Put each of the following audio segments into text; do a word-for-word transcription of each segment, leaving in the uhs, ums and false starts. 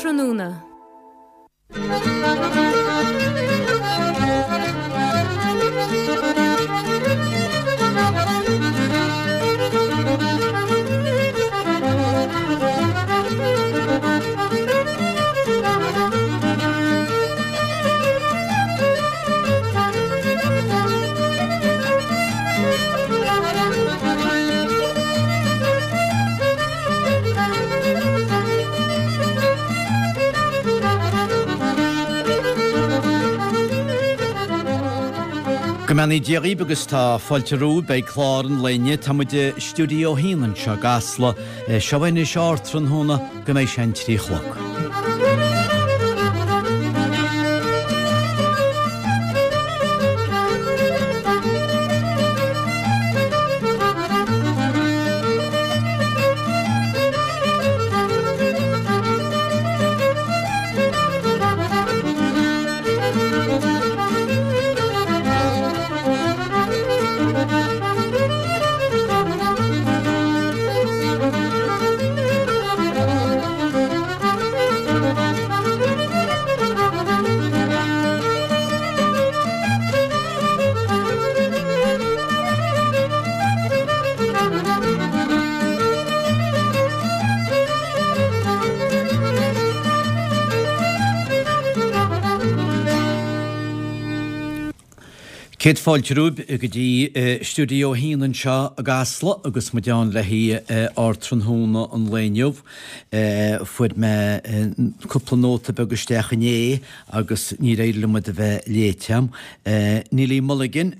Ardtráthnóna. Go mbeannaí Dia dhaoibh agus tá fáilte romhaibh beidh clár an lae inniu. Tá muid i stiúideo a haon anseo i gCasla. Seo anois ardtráthnóna go mbeidh sé an trí a chlog. Céad fáilte romhaibh go dtí Stiúideo a haon anseo i gCasla agus muid ann le haghaidh ardtráthnóna an lae inniu. Fuair mé cúpla nóta beag isteach inné agus níor éirigh liom iad a bheith léite agam. Neilí Mulligan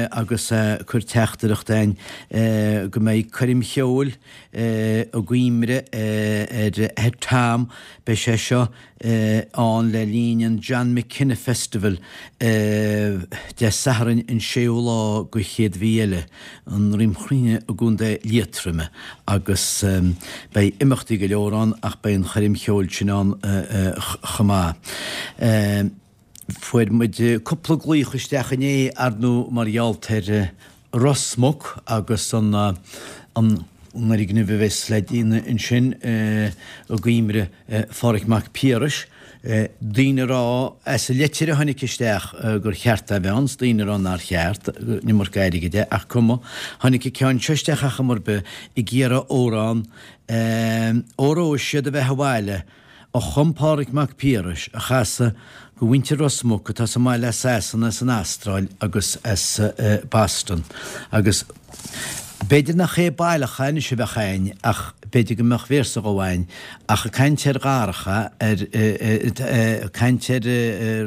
agus cuir teachtaireacht againn go mbeidh coirm cheoil i gCoimbre ar athair Tom. Beidh sé seo ann le linn an John McKenna Festival Dé Sathairn an séú lá go chéad mhí eile, i nDroim Chruinne i gContae Liatroime agus beidh imeachtaí go leor ann ach beidh an choirm cheoil sin ann chomh maith. Fuair muid cúpla glaoch isteach inné, ar ndóigh, mar gheall ar Ros Muc agus an an fhoirgneamh a bheas le déanamh ansin i gCoimbre Pháraic Mac Piarais. Daoine a rá, as an leitir a tháinig isteach, gur cheart é a bheith ann, 's daoine a rá nár cheart, an iomarca airgid é, ach cuma. Tháinig an ceann seo isteach ar chuma ar bith ag iarraidh amhrán, Óró Sé do Bheatha Abhaile, a chum Pádraig Mac Piarais a chasadh go mhuintir Ros Muc atá sa mbaile as Sasana, as an Astráil agus as Boston. Agus b'fhéidir nach é baileach anois a bheadh a'inn ach b'fhéidir go mbeadh véarsa dhó a'inn ach ag caint ar Dharach, ar caint ar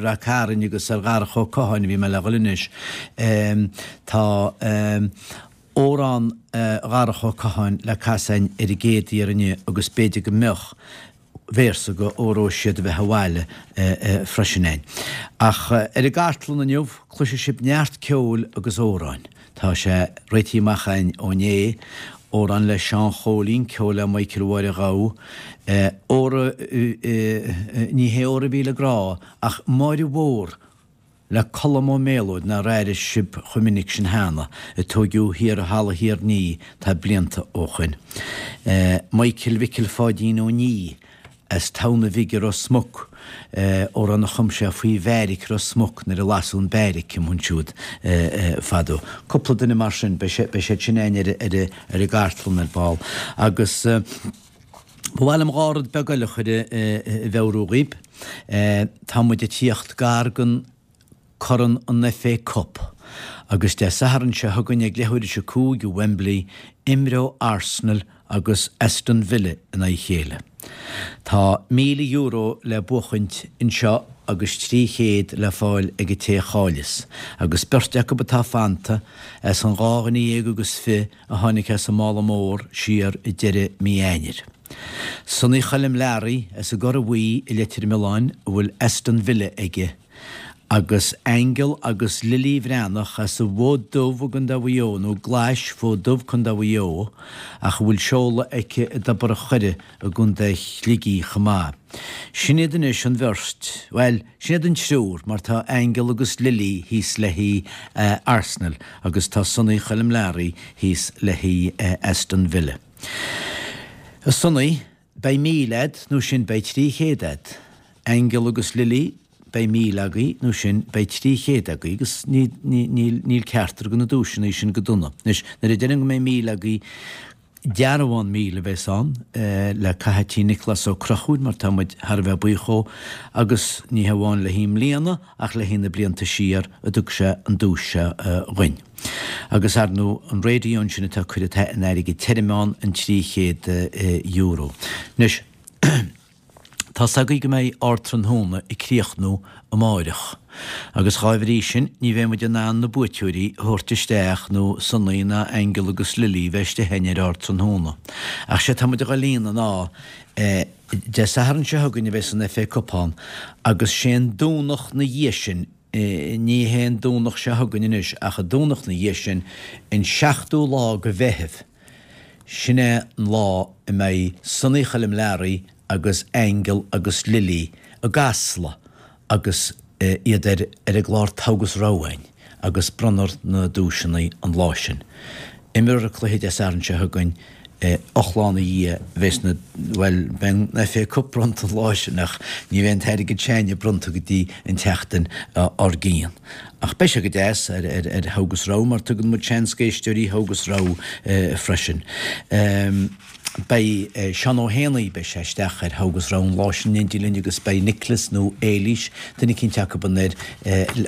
Rath Cairn agus ar Dharach Ó Catháin a bhí mé le dhul anois. Tá amhrán Dharach Ó Catháin le casadh a'inn ar an gcéad iarraidh inniu agus b'fhéidir go mbeadh véarsa go Óró Sé do Bheatha Abhaile freisin a'inn. Ach ar an gcartlann inniu, cloisfidh sibh neart ceoil agus amhráin. Tá sé réitithe amach a'inn ó inné, amhrán le Seán Chóilín, ceol le Michael Mháire Ghabha, Óra, ní hé Óra Mhíle Grá, ach Máire Mhór le Colm Ó Méalóid nár airigh sibh chomh minic sin cheana, a tóigeadh thiar i Halla Thír an Fhia tá blianta ó shoin. Michael Mhicil Pháidín Ó Nia as Tamhna Bhig i Ros Muc, amhrán a chum sé faoi bheairic Ros Muc nuair a lasadh an beairic amuigh ansiúd fadó. Cúpla duine mar sin, beidh siad sin a'inn ar ar an gcartlann ar ball. Agus ba mhaith liom dhá rud beag eile a chur i mheabhrú dhaoib. Tá muid ag tíocht gar don Corn an FA Cup agus Dé Sathairn seo chugainn ag leathuair théis a cúig i Wembley, imreoidh Arsenal agus Aston Villa in aghaidh a chéile. Tá míle euro le buachaint anseo agus trí chéad le fáil ag an té a chaillfeas, agus beirt acu atá fanta as an dhá dhuine dhéag agus fiche a tháinig as an Mála Mór siar i deireadh mí Eanáir. Sonaí Choilm Learaí as an gCora Bhuí i Leitir Mealláin a bhfuil Aston Villa aige, Agus Aingeal agus Lilí Bhreathnach as an bhFód Dubh i gContae Mhaigh Eo, nó Glais, Fód Dubh, Contae Mhaigh Eo, ach a bhfuil seoladh aici i dTobar a' Choire i gContae Shligigh chomh maith. Sin iad anois an bheirt, bhuel, sin iad an triúr, mar tá Aingeal agus Lilí thíos le haghaidh Arsenal agus tá Sonaí Choilm Learaí thíos le haghaidh Aston Villa. A Sonaí. Beidh míle a'd, nó sin beidh trí chéad a'd. Aingeal agus Lily, beidh míle agaibh, nó sin beidh trí chéad agaibh, agus ní, ní, níl, níl ceachtar de na duaiseanna sin go dona. Anois, nuair a deirim go mbeidh míle agaibh, dearbhán míle a bheas ann le caitheamh tí Nioclás Ó Conchúir mar tá muid thar a bheith buíoch dhó agus ní hamháin le haghaidh i mbliana ach le haghaidh na blianta siar a dtug sé an duais seo dhuinn. Agus ar ndóigh an raidió ansin atá curtha in airgead tirim ann an trí chéad euro. Anois. Tá's agaibh go mbeidh Ardtráthnóna ag críochnú amáireach, agus dhá bhrí sin ní bheidh muid in ann na buaiteoirí a thabhairt isteach nó Sonaí ná Aingeal agus Lily bheith istigh againn ar Ardtráthnóna. Ach sé tá muid a dhul a dhéanamh ná Dé Sathairn seo chugainn a bheas an FA Cup ann agus sé an Domhnach 'na dhiaidh sin, ní hé an Domhnach seo chugainn anois ach an Domhnach 'na dhiaidh sin, an seachtú lá de Mheitheamh, sin é an lá a mbeidh Sonaí Choilm Learaí agus Aingeal agus Lily i gCasla agus iad ar ar an gclár Togha agus Rogha againn agus bronnfar na duaiseanna an lá sin. Imreofar an cluiche Dé Sathairn seo chugainn, ocht lá ina dhiaidh bheas na, bhuel, beidh an FA Cup bronnta an lá sin ach ní bheidh an t-airgead s'againne bronnta go dtí an tseachtain dár gcionn. Ach beidh sé go deas ar ar ar Thogha agus Rogha mar tugann muid seans d'éisteoirí Thogha agus Rogha freisin. Beidh Seán Ó hÉanaí, beidh sé isteach ar Thogha agus Rogha an lá sin in éindí linn agus beidh Nicholas nó Éilís, duine eicínt acu air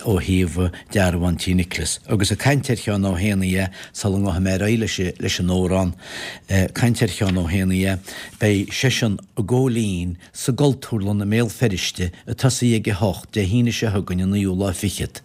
ó thaobh dearbhán tí Nicholas. Agus ag caint ar Sheán Ó hÉanaí sula ngabhfaidh mé ar aghaidh leis an amhrán, caint ar Sheán Ó hÉanaí, beidh seisean i gCóilín sa gCultúrlann i mBéal Feirste ag tosaí ag a hocht Dé hAoine seo chugainn an naoú lá fichead.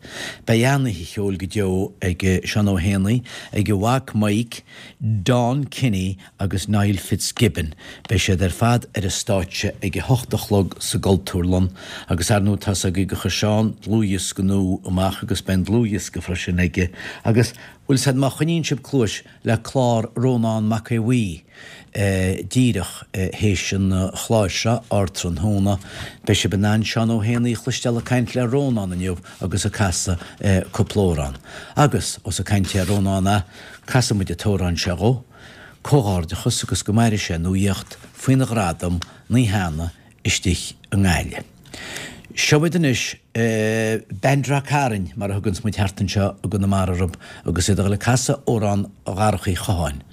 Beidh an-oíche cheoil go deo ag Seán Ó hÉanaí, ag a mhac Mike, Don Kinney agus Niall Fitzgibbon. Beidh siad ar fad ar an stáitse ag a hocht a chlog sa gCultúrlann agus ar ndóigh tá's agaibh gur chuir Seán dlúthdhiosca nua amach agus beidh an dlúthdhiosca freisin aige agus bhfuil 'fhios a'd má choinníonn sibh cluais le clár Rónán Mac Aodha Bhuí díreach théis an chláir seo, Ardtráthnóna, beidh sibh in ann Seán Ó hÉanaí a chloisteáil ag caint le Rónán inniu agus ag casadh cúpla amhrán. Agus, ós ag caint ar Rónán a, Casfaidh muid an t-amhrán seo dhó. Comhghairdeachas agus go maire sé an nuaíocht faoina ghradam na hAnna istigh i nGaillimh. Seo iad anois, Band Ráth Cairn, mar a thuganns muid thart anseo i gConamara orthu, agus iad ag dul ag casadh amhrán Dharach Uí Chatháin.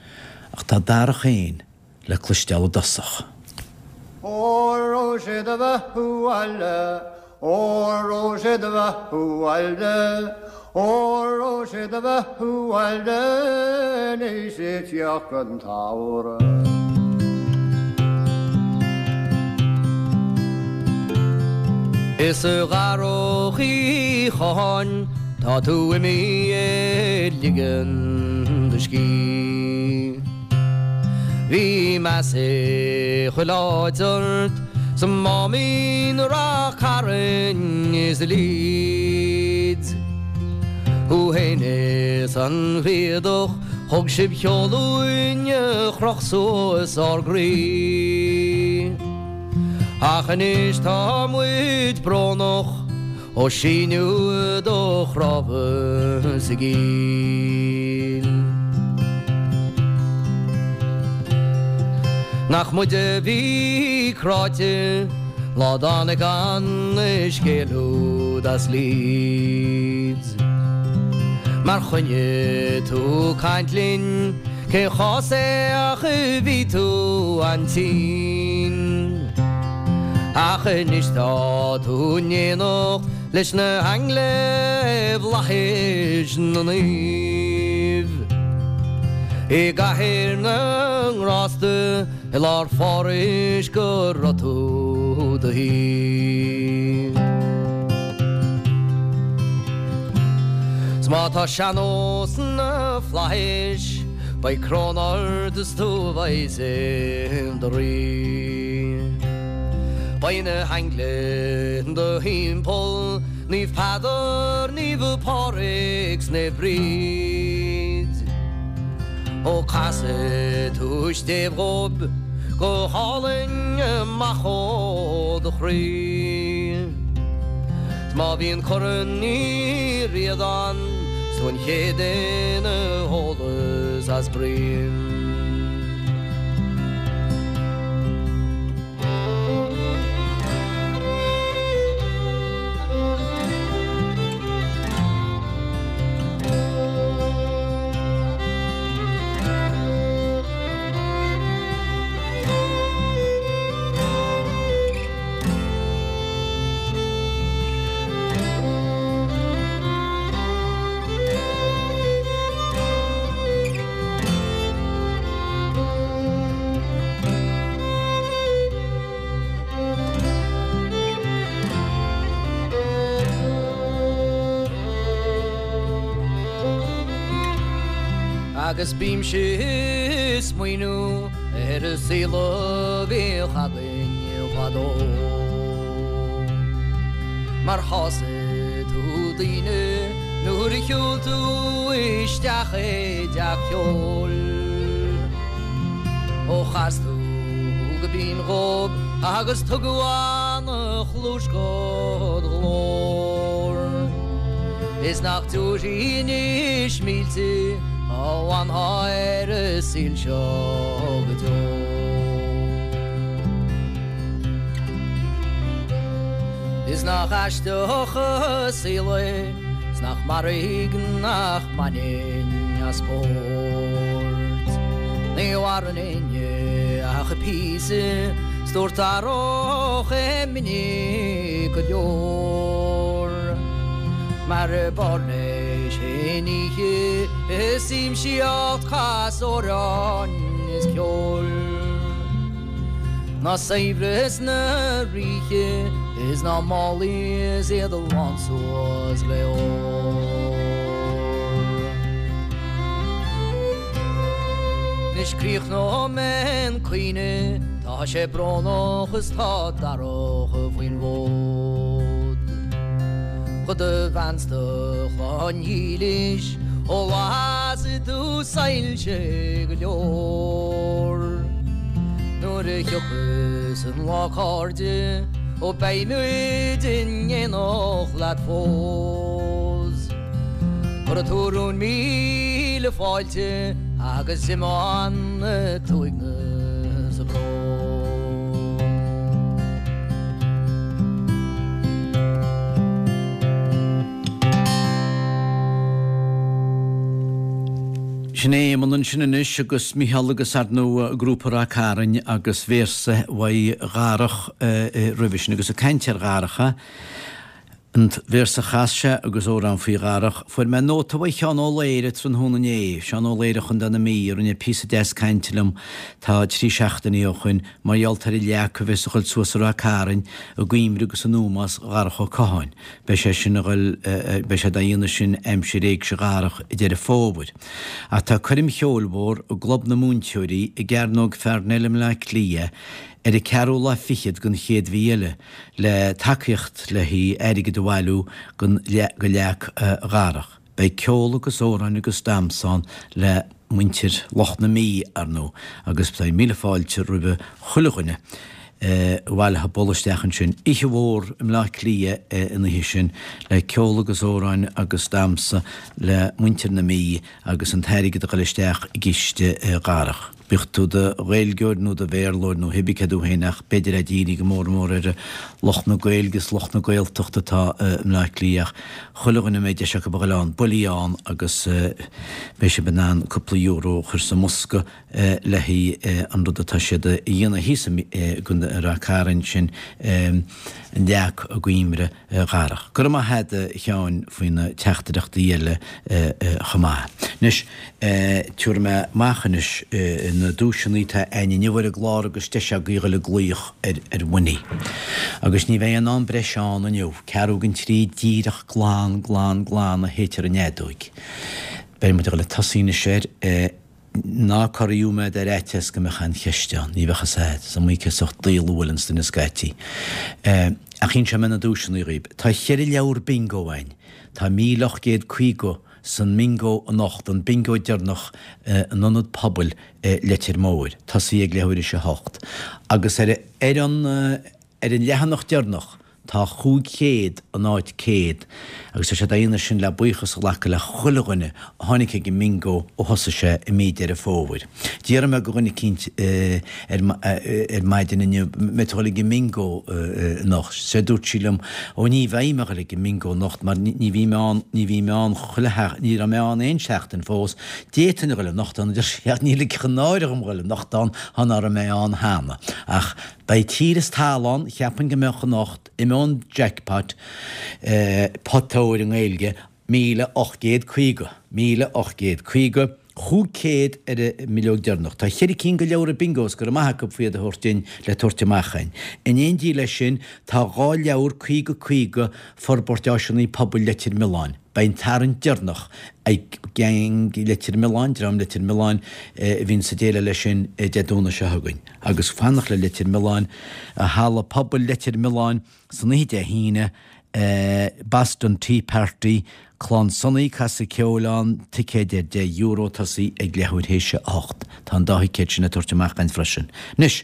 Ach tá Darach féin le cloisteáil i dtosach. Óra raibh sé do bheathú abhaile, Óra raibh sé do bheathú abhaile, Óra raibh sé do bheathú abhaile anois ag teacht an tsamhraidh. Is a Dharach Uí Chatháin tá tú imithe ag ligean do scíth. Bhí meas i chuile áit ort, sa Máimín, Ráth Cairn is i Leeds. Thú fhéin is an Riadach, thug sibh ceol uainn a chroch suas ár gcroí. Ach anois tá muid brónach ó síneadh do chnámha sa gcill. Nach muid a bhí cráite lá dtáinig an scéal úd as Leeds. Mar choinnigh tú caint linn, cén chás é ach bhí tú an-tinn. Ach anois tá tú in éineacht leis na haingle i bhflaithis na naomh. I gcathaoir na ngrásta i lár Phárais go raibh tú do shuí. 'S má tá sean-nós sna flaithis beidh crón ort is tú a bheas i do rí. Beidh na haingle in do thimpeall, Naomh Peadar, Naomh Pádraig 's Naomh Bríd. Ó casfaidh tú stéibh dhóibh go hálainn amach ó do chroí. 'S má bhíonn Corn Uí Ríordáin 's tú an chéad duine a ólas as broim. Agus bímse ag smaoineamh ar an saol a bhíodh againn fadó. Mar shásaigh tú daoine nuair a shiúil tú isteach i dteach ceoil. Ó chas tú go binn dhóibh agus tugadh an-chluas dhod ghlór. Is nach dtabharfaí anois mílte dá bhfanfá ar an saol seo go deo. Is nach aisteach an saol é, 's nach mairg nach mbainfinn as spórt. Ní mhaireann éinne ach píosa, 's dúirt Darach é minic go leor. Mar b'fhearr leis féin oíche ag siamsaíocht cas amhráin is ceol. Ná saibhreas na ríthe is ná málaí is iad lán suas le ór. Anois críochnóidh mé an caoineadh, tá sé brónach is tá Darach faoin bhfód. Do do bhean 's do chlann dhílis ó las tú soilse go leor. Nuair a thiocfas an lá a chairde ó beidh muid in éineacht leat fós. Cuirfidh tú romhainn míle fáilte agus imeoidh an t-uaigneas 's an brón. Sin é Éamonn ansin anois agus Micheál agus ar ndóigh grúpa Ráth Cairn agus véarsa uaidh Dharach roimhe sin agus ag caint ar Dharach. An véarsa a chas sé agus amhrán faoi Dharach. Fuair mé nóta uaidh Sheán Ó Laoire tráthnóna inné, Seán Ó Laoire Chontae na Mí, a rinne píosa deas cainte liom tá trí seachtainí ó shoin mar gheall ar an leac a bheas a dhul suas i Ráth Cairn i gcuimhne agus in ómós Dharach Ó Catháin. Beidh sé sin a dhul, beidh sé dá dhéanamh sin aimsir éigse Dharach i Deireadh Fómhair. Ach tá coirm cheoil mhór i gClub na Múinteoirí i gCearnóg Pharnell i mBleá Cliath ar an ceathrú lá fichead den chéad mhí eile le tacaíocht le haghaidh airgead a bhailiú don go leac Dharach. Beidh ceol agus amhráin agus damhsa ann le muintir lucht na Mí, ar ndóigh, agus beidh míle fáilte roimhe chuile dhuine a bhaileoidh bualadh isteach ansin. Oíche mhór i mBleá Cliath an oíche sin le ceol agus amhráin agus damhsa le muintir na Mí agus an t-airgead a dhul isteach i gciste Dharach. Bíodh tú do Ghaeilgeoir nó do Bhéarlóir nó cibé cé tú féin ach b'fhéidir é dírithe go mór mór ar lucht na Gaeilge is lucht na Gaeltachta atá i mBleá Cliath ach chuile dhuine a mbeidh deis acu a dhul ann, buailfidh ann agus beidh sibh in ann cúpla euro a chur sa mbosca le haghaidh an rud atá siad a dhéanamh thíos i Ráth Cairn sin an leac i gcuimhne Dharach. Go raibh maith agat a Sheáin faoi na teachtaireachtaí eile chomh maith. Anois, tabharfaidh mé amach anois na duaiseanna atá againn inniu ar an gclár agus deis agaibh a dhul ag glaoch ar ar Winnie. Agus ní bheidh aon am breise ann inniu, ceathrú don trí díreach glan glan glan a shéidtear an fheadóig. Beidh muid ag dul ag tosaí anois air. Ná corraíodh mé ar fhaitíos go mbeadh aon cheist ann, ní bheadh fhios a'd, is iomaí sórt daol a bhuaileanns duine scaití. Ach inseoidh mé na duaiseanna dhaoib. Tá cheithre leabhar bingo a'inn. Tá míle ocht gcéad caoga san mbingo anocht, an bingo deireanach in Ionad Pobail Leitir Móir. Tosaí ag leathuair théis a hocht. Agus ar ar an ar an leathanach deireanach tá chúig chéad in áit céad agus tá sé dá dhéanamh sin le buíochas a ghlacadh le chuile dhuine a tháinig ag an mbingo ó thosaigh sé i mí Deireadh Fómhair. D'fhiafraigh mé de dhuine eicínt ar ar maidin inniu an mbeidh tú ag dul ag an mbingo anocht. Sé dúirt sí liom ó ní bheidh mé ag dul ag an mbingo anocht mar ní bhí mé ann ní bhí mé ann chuile ní raibh mé ann aon seachtain fós. D'fhéadfainn a dhul anocht ann a deir sí ach ní ligfeadh an náire dhom dhul anocht ann thá ná raibh mé ann cheana. Ach beidh tír is talamh ann, cheapfainn go mbeadh anocht, imeoidh an jackpot, pota óir i nGaeilge, míle ocht gcéad caoga, míle ocht gcéad caoga, Chúig chéad ar an mbileog deireanach. Tá cheithre cinn de leabhra bingos, go raibh maith acu faoi iad a thabhairt dúinn le tabhairt amach againn. In éindí leis sin, tá dhá leabhar caoga caoga Forbairt Áiseanna Pobail Leitir Mealláin. Beidh an tarraingt deireanach ag Gang Leitir Mealláin, Dream Leitir Mealláin, a bhíonn sa déileáil leis sin Dé Domhnaigh seo chugainn. Agus fanacht le Leitir Mealláin, Halla Pobail Leitir Mealláin san oíche Dé hAoine, Boston Tea Party, Clann Sonaí, casadh ceoil ann, ticéid ar deich euro, tosaí ag leathuair théis a hocht. Tá an dá thicéad sin á dtabhairt amach againn freisin. Anois,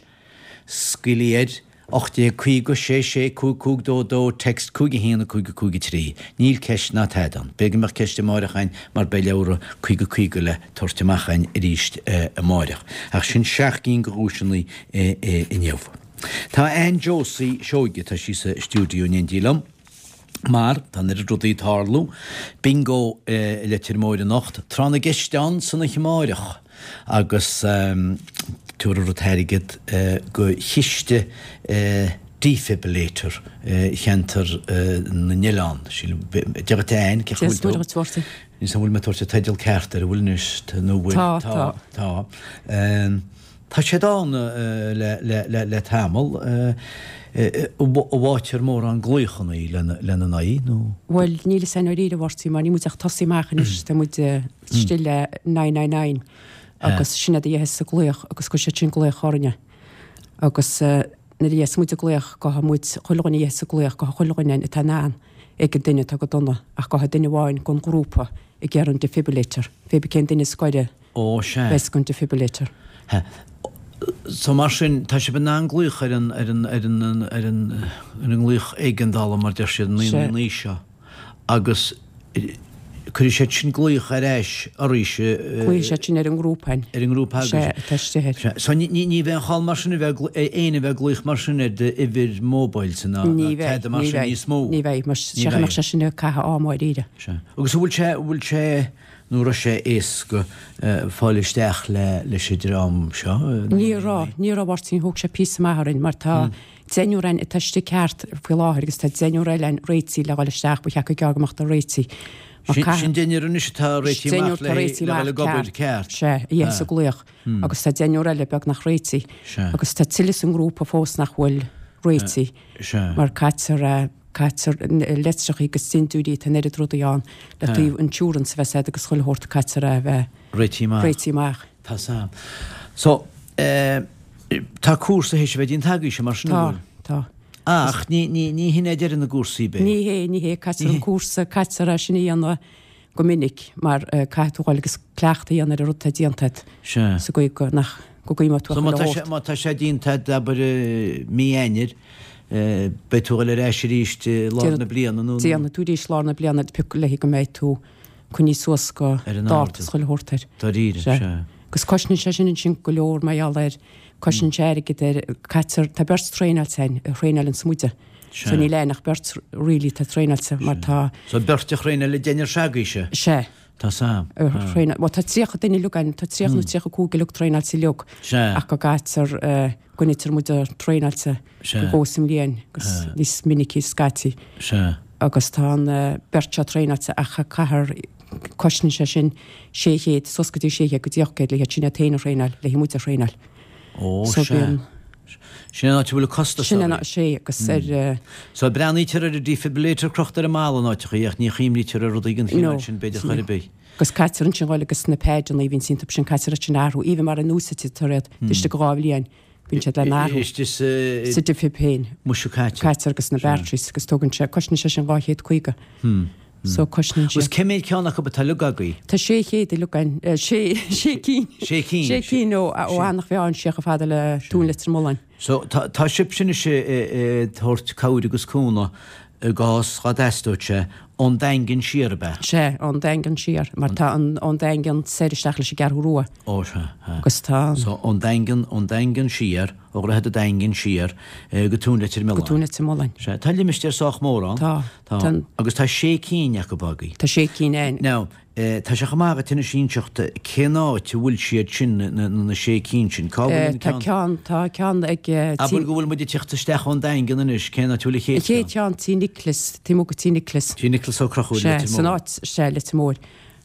scaoil air, ocht déag caoga, sé sé, cúig cúig dó dó, text cúig a haon a cúig a cúig a trí. Níl ceist ná tada ann. B'fhéidir go mbeadh ceist amáireach againn mar beidh leabhra caoga caoga le tabhairt amach againn arís amáireach. Ach sin seacht gcinn de dhuaiseanna inniu. Tá Ann Josie Seoige, tá sí sa stiúideo in éindí liom. Mar, tá an oiread rudaí ag tarlú, Bingo i Leitir Móir anocht, Tráth na gCeist ann san oíche amáireach agus tabharfar an t-airgead go chiste defibrillator cheantar na nOileán. Sílim, Dia dhuit a Ann, cén chaoi a bhfuil tú? Dia dhuit, a Mháirtín. Níl 's agam an bhfuil mé ag tabhairt an teideal ceart air, an bhfuil anois, nó bhfuil? Tá, tá. Tá. Tá siad ann le tamall. An bhfaightear mórán glaochanna lena n-aghaidh nó? Bhuel, níl fhios a'inn i ndáiríre, a Mháirtín, mar níl muid ach tosaí amach anois, tá muid istigh le nine nine nine agus sin iad a dhéanfas an glaoch agus cuirfidh siad sin glaoch orainne. Agus nuair a dhéanfas muid an glaoch, gabhfaidh muid, chuile dhuine a dhéanfas an glaoch, gabhfaidh chuile dhuine atá in ann ag an duine atá go dona ach gabhfaidh duine amháin gon ghrúpa ag iarraidh an defibrillator, pé bith cén duine is gaire. Ó, sea. Bheas gon defibrillator. Sea. So mar sin, tá sibh in ann glaoch ar an, ar an, ar an, ar an, ar an nglaoch éigeandála mar deir siad, naoi naoi naoi seo agus cuirfidh siad sin glaoch ar ais oraibhse. Glaofaidh siad sin ar an ngrúpa againn. Ar an ngrúpa agaibhse. Sea, atá istigh air. Sea. So ní, ní, ní bheidh aon chall mar sin a bheith, éinne a bheith ag glaoch mar sin ar d'uimhir móbail-sa ná, ná tada mar sin níos mó. Ní bheidh, ní bheidh, mar seachas go mbeadh sé sin ag caitheamh ama dáiríre. Sea. Agus an bhfuil sé, an bhfuil sé, Nó raibh sé éasca fáil isteach leis an dream seo? Ní raibh, ní raibh a Mháirtín, thóg sé píosa maith orainn mar tá deichniúr againn atá istigh ceart faoi láthair agus tá deichniúr eile againn réitithe le dhul isteach, ba cheart go gearr go mbeadh siad réitithe. Mar caith. Sin deichniúr anois atá réitithe amach le dhul ag obair ceart. Sea, a dhéanfas an glaoch agus tá deichniúr eile beagnach réitithe agus tá tuilleadh sa ngrúpa fós nach bhfuil réitithe mar caitear Caitear leictreachaí agus dintiúirí, tá an oiread rudaí ann le taobh insurance a bheith agat agus chuile shórt caitear é a bheith réitithe amach. Réitithe amach. Tá sam. So, eh, tá cúrsa théis a bheith déanta agaibhse mar sin, an Tá, bhfuil? tá. Ach ní, ní, ní hin é deireadh na gcúrsaí, b'é? Ní hé, ní hé, caitear an cúrsa, caitear é sin a dhéanamh go minic mar caithfidh tú dhul agus cleachtadh a dhéanamh ar an rud atá déanta agat. Sea. Sa gcaoi go, nach, go gcuimhneoidh tú So ar má chuile tá sé, shórt. má tá sé déanta agat, abair, i mí Eanáir, Beidh tú a dhul ar ais arís i lár na bliana nó? Déanfaidh tú arís lár na bliana pioc léi go mbeidh tú coinnithe suas go dáta is chuile shórt air. Dáiríre, sea. Agus cosnaíonn sé sin ansin go leor mar gheall air, cosnaíonn sé airgead air, caitear, tá beirt traenáilte againn a thraenálanns muide. So níl aon ach beirt really atá traenáilte mar tá. So beirt a thraenáil an deichniúr s'agaibhse? Sea. Tá sam. A thraenáil, bhuel tá tríocha duine uilig againn, tá tríocha nó tríocha cúig uilig traenáilte uilig. Sea. Ach go gcaitear, go nitear muid traenáilte Sea. go sa mbliain agus níos minicí scaití. Sea. Agus tá an beirt seo traenáilte ach caithfear, cosnaíonn sé sin sé chéad, suas go dtí sé chéad go dtí ocht gcéad le hiad sin iad féin a thraenáil, le muid a thraenáil. Ó, So sea. bíonn. Sin an áit a bhfuil an costas Sin an oraibh. áit, sea, agus ar. So breathnaítear ar an defibrillator crochta ar an mballa in áiteachaí ach ní chuimhnítear ar rudaí den chineál No. sin b'fhéidir chor ar bith. Agus caitear ansin dhul agus na paideanna a bhíonn iontu sin caitear iad sin a athrú, even mara n-úsáidtear iad, istigh dhá bhliain, bíonn siad le n-athrú. Istigh sa. Sa defib féin. Muise caitear. Caitear agus na batteries agus tógann sé, cosnaíonn sé sin dhá chéad caoga. So cosnaíonn sé. Agus cé mhéad ceann acu atá uilig agaibh? Tá sé chéad uilig againn, sé, sé cinn. Sé cinn. Sé cinn ó, ó Eanach Mheáin siar chomh fada le Dún Leitir Mealláin. So tá, tá sibhse anois ag tabhairt cabhair agus cúnamh i gcás dá dteastódh sé ón Daingean siar, ab ea? Sea, ón Daingean siar, mar tá an, ón Daingean soir isteach leis an gCeathrú Rua. Ó, sea, sea. Agus tá an. So ón Daingean, ón Daingean siar, ó Dhroichead an Daingin siar go Tóin Leitir Go Mealláin. Tóin Leitir Mealláin. Sea, tá limistéar sách mór ann. Tá. Tá. Tá an. Agus tá sé cinn acu agaibh. Tá sé cinn againn. Now, tá sé chomh maith agat anois inseacht cén áit a bhfuil siad sin, na, na sé cinn sin. Cá bhfuil an Tá ceann? ceann, tá ceann ag Tí. Abair go bhfuil muid ag teacht isteach ón Daingean anois, cén áit a bhfuil an chéad An chéad cheann? cheann, Tí Nicholas, taobh amuigh de Tí Nicholas. Tí Nicholas Ó Conchúir, Sea, Leitir san Móir. áit, sea, Leitir Móir.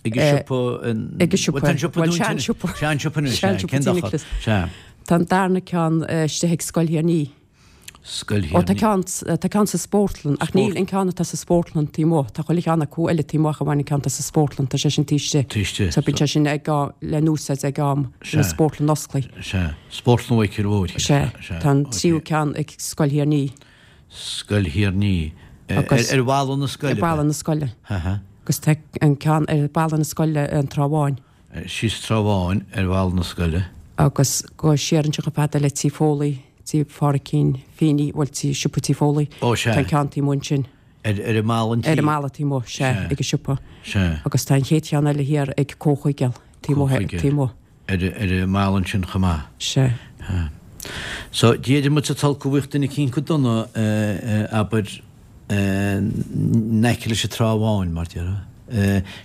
Ag an siopa... Ag an siopa. Bhuel, tá an siopa Bhuel, dúnta sean siopa. Sean siopa anois, Sean sea. siopa Cén Tí dochar? Nioclás. Sea. Tá an darna ceann istigh ag Scoil Thír an Fhia. Scoil Ó, tá Thír an Fhia. ceann, tá ceann sa spórtlann, ach níl an ceann atá sa spórtlann taobh amuigh. Tá chuile cheann acu eile taobh amuigh ach amháin an ceann atá sa spórtlann, tá sé sin taobh istigh. Taobh istigh. So bíonn sé sin ag á, le n-úsáid ag am Sea. na spórtlann osclaí. Sea. Spórtlann Mhichíl Mhóir. Sea. Sea. Tá an Ok. tríú ceann ag Scoil Thír an Fhia. Scoil Thír an Fhia. Agus- Ar, ar bhalla na scoile? Ar bhalla na scoile. Aha. Agus tá an ceann ar bhalla na scoile an Trá Bháin. Síos Trá Bháin ar bhalla na scoile. Agus go siar anseo chomh fada le Tí Foley, Tí Phádraicín Feeney, bhuel tí siopa Tí Foley. Ó, sea. Tá an ceann taobh amuigh ansin. Ar, ar an mballa an tí? Ar an mballa taobh amuigh, sea, Sea. ag an siopa. Sea. Agus tá an chéad cheann eile thiar ag Comhchuigeal, taobh amuigh, Comhchuigeal. taobh amuigh. Ar, ar an mballa ansin chomh maith. Sea. So, d'fhéadfadh muid sa tolc go bhfuil duine eicínt go dona, abair, in aice leis an Trá Bháin, mar déarfá.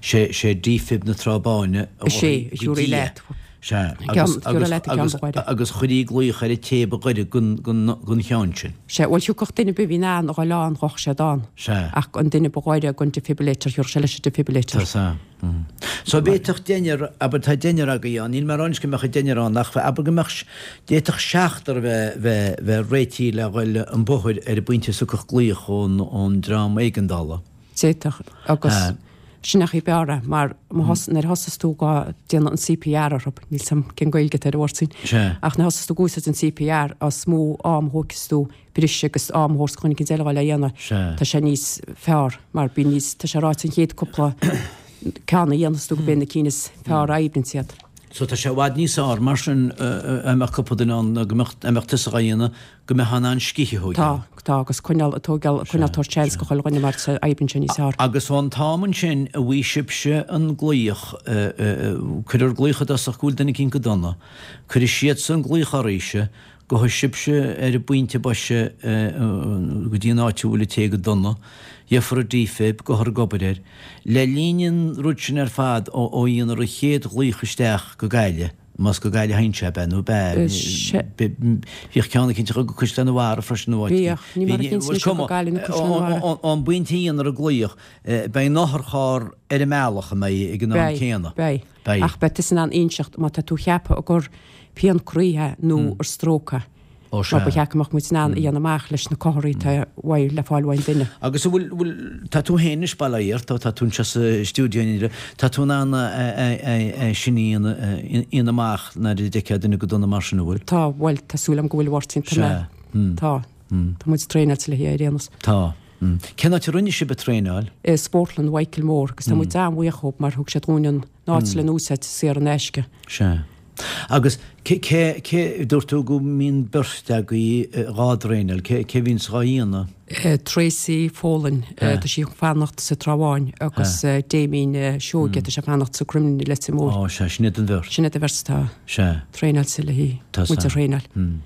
Sé, sé defib na Trá Báine a Is é, mhothaigh a thiúrfaidh go leat. Sea, Ceann- agus, thiúrfaidh agus, leat an ceann agus, ba ghaire. agus chuirí glaoch ar an té ba ghaire gon, gon, gon cheann sin. Sea, bhuel thiocfadh duine ar bith a bhí in ann a dhul ann ghabhadh siad ann. Sea. Ach an duine ba ghaire gon defibrillator, thiúrfadh sé leis an defibrillator. Tá sa. Mm. So b'fhéadfadh deichniúr, abair tá deichniúr agaibh ann, níl mé ag rá anois go mbeadh an deichniúr ann, ach abair go mbeadh, d'fhéadfadh seachtar bheith, bheith, bheith réitithe le dhul an bóthar ar an bpointe a thiocfadh glaoch ón, ón dream éigeandála. D'fhéadfadh, agus Ah. sin an chaoi ab fhearr é, mar má thos, nuair a thosas tú go déanamh an C P R orthu, níl 's a'm cén Gaeilge atá ar an bhord sin. Sea. Ach nuair a thosas tú ag úsáid an C P R, is mó am a thógfas tú briseadh agus am a thabhairt chun cinn eile a dhéanamh. Sea. Tá sé níos fearr, mar bíonn níos, tá sé ráite an chéad cúpla ceann a dhéanfas tú go b'é na cinn is fearr a oibríonn siad. So tá sé i bhfad níos fearr mar sin, a mbeadh cúpla duine ann, go mbeadh, a mbeadh tusa á dhéanamh, go mbeadh an scíth a thógáil. Tá, tá, agus coinneáil, tógáil, coinneáil tabhairt seans go chuile dhuine mar tá oibríonn sé níos fearr. Agus ón t-am ansin a bhí sibhse an glaoch, cuirfear glaoch i dtosach go bhfuil duine eicínt go dona, cuirfidh siadsan glaoch oraibhse, gabhfaidh sibhse ar an bpointe boise go dtí an áit a bhfuil an té go dona, gheofar an defib, gabhfar ag obair air. Le linn an rud sin ar fad ó, ó dhéanfar an chéad ghlaoch isteach go Gaillimh, más go Gaillimh a théann sé, b'ea nó b'ea, Eh, se- be-, bhíodh ceann eicínt go Caisleán an Bharraigh freisin nó áit Bhíodh, ní mar a Bhí- cinn bhuel, seo go cuma, Gaillimh nó Caisleán an Bharraigh. ó, ó, ón bpointe a dhéanfar an glaoch, eh, beidh an otharcharr ar an mbealach a mbeidh ag an am Beidh, céanna. beidh. Beidh. Ach beidh tusa in ann inseacht má tá tú cheaptha gur pian croí é nó gur stróc é. Ó, Mar sea. ba cheart go mbeadh muid in ann a dhéanamh amach leis na comharthaí atá uaidh le fáil uaidh an duine. Agus bhfuil, bhfuil, tá tú féin anois bail ó Dhia ort, tá tú anseo sa stiúideo inniu, tá tú in ann a, a, a, a, sin a dhéanamh, a, dhéanamh amach nuair a d'fheicfeá duine go dona mar sin, an bhfuil? Tá, bhuel, tá súil agam go bhfuil Mháirtín, tá Sea. mé. Tá. Tá muid traenáilte le hé ar aon nós. Tá. Mm. Cén áit a rinne sibh an traenáil? Eh, Spórtlann Mhichíl Mhóir, agus tá muid an-bhuíoch dhóibh mar thug siad dúinn an áit le n-úsáid saor in aisce. Sea. Agus cé, cé, cé dúirt tú go mbíonn beirt agaibh, eh, dhá dtraenáil, cé, cé bhíonn sa dhá dhéanamh? Eh, Tracy Folan, eh, Eh. tá sí ag fanacht sa Trá Bháin, agus, eh, Damien, eh, Seoige, tá sé ag fanacht sa Crumlin Leitir Móir. Ó, sea, sin iad an bheirt. Sin iad an bheirt atá Sea. traenáilte le hí Tá muid a sa. thraenáil. Hmm.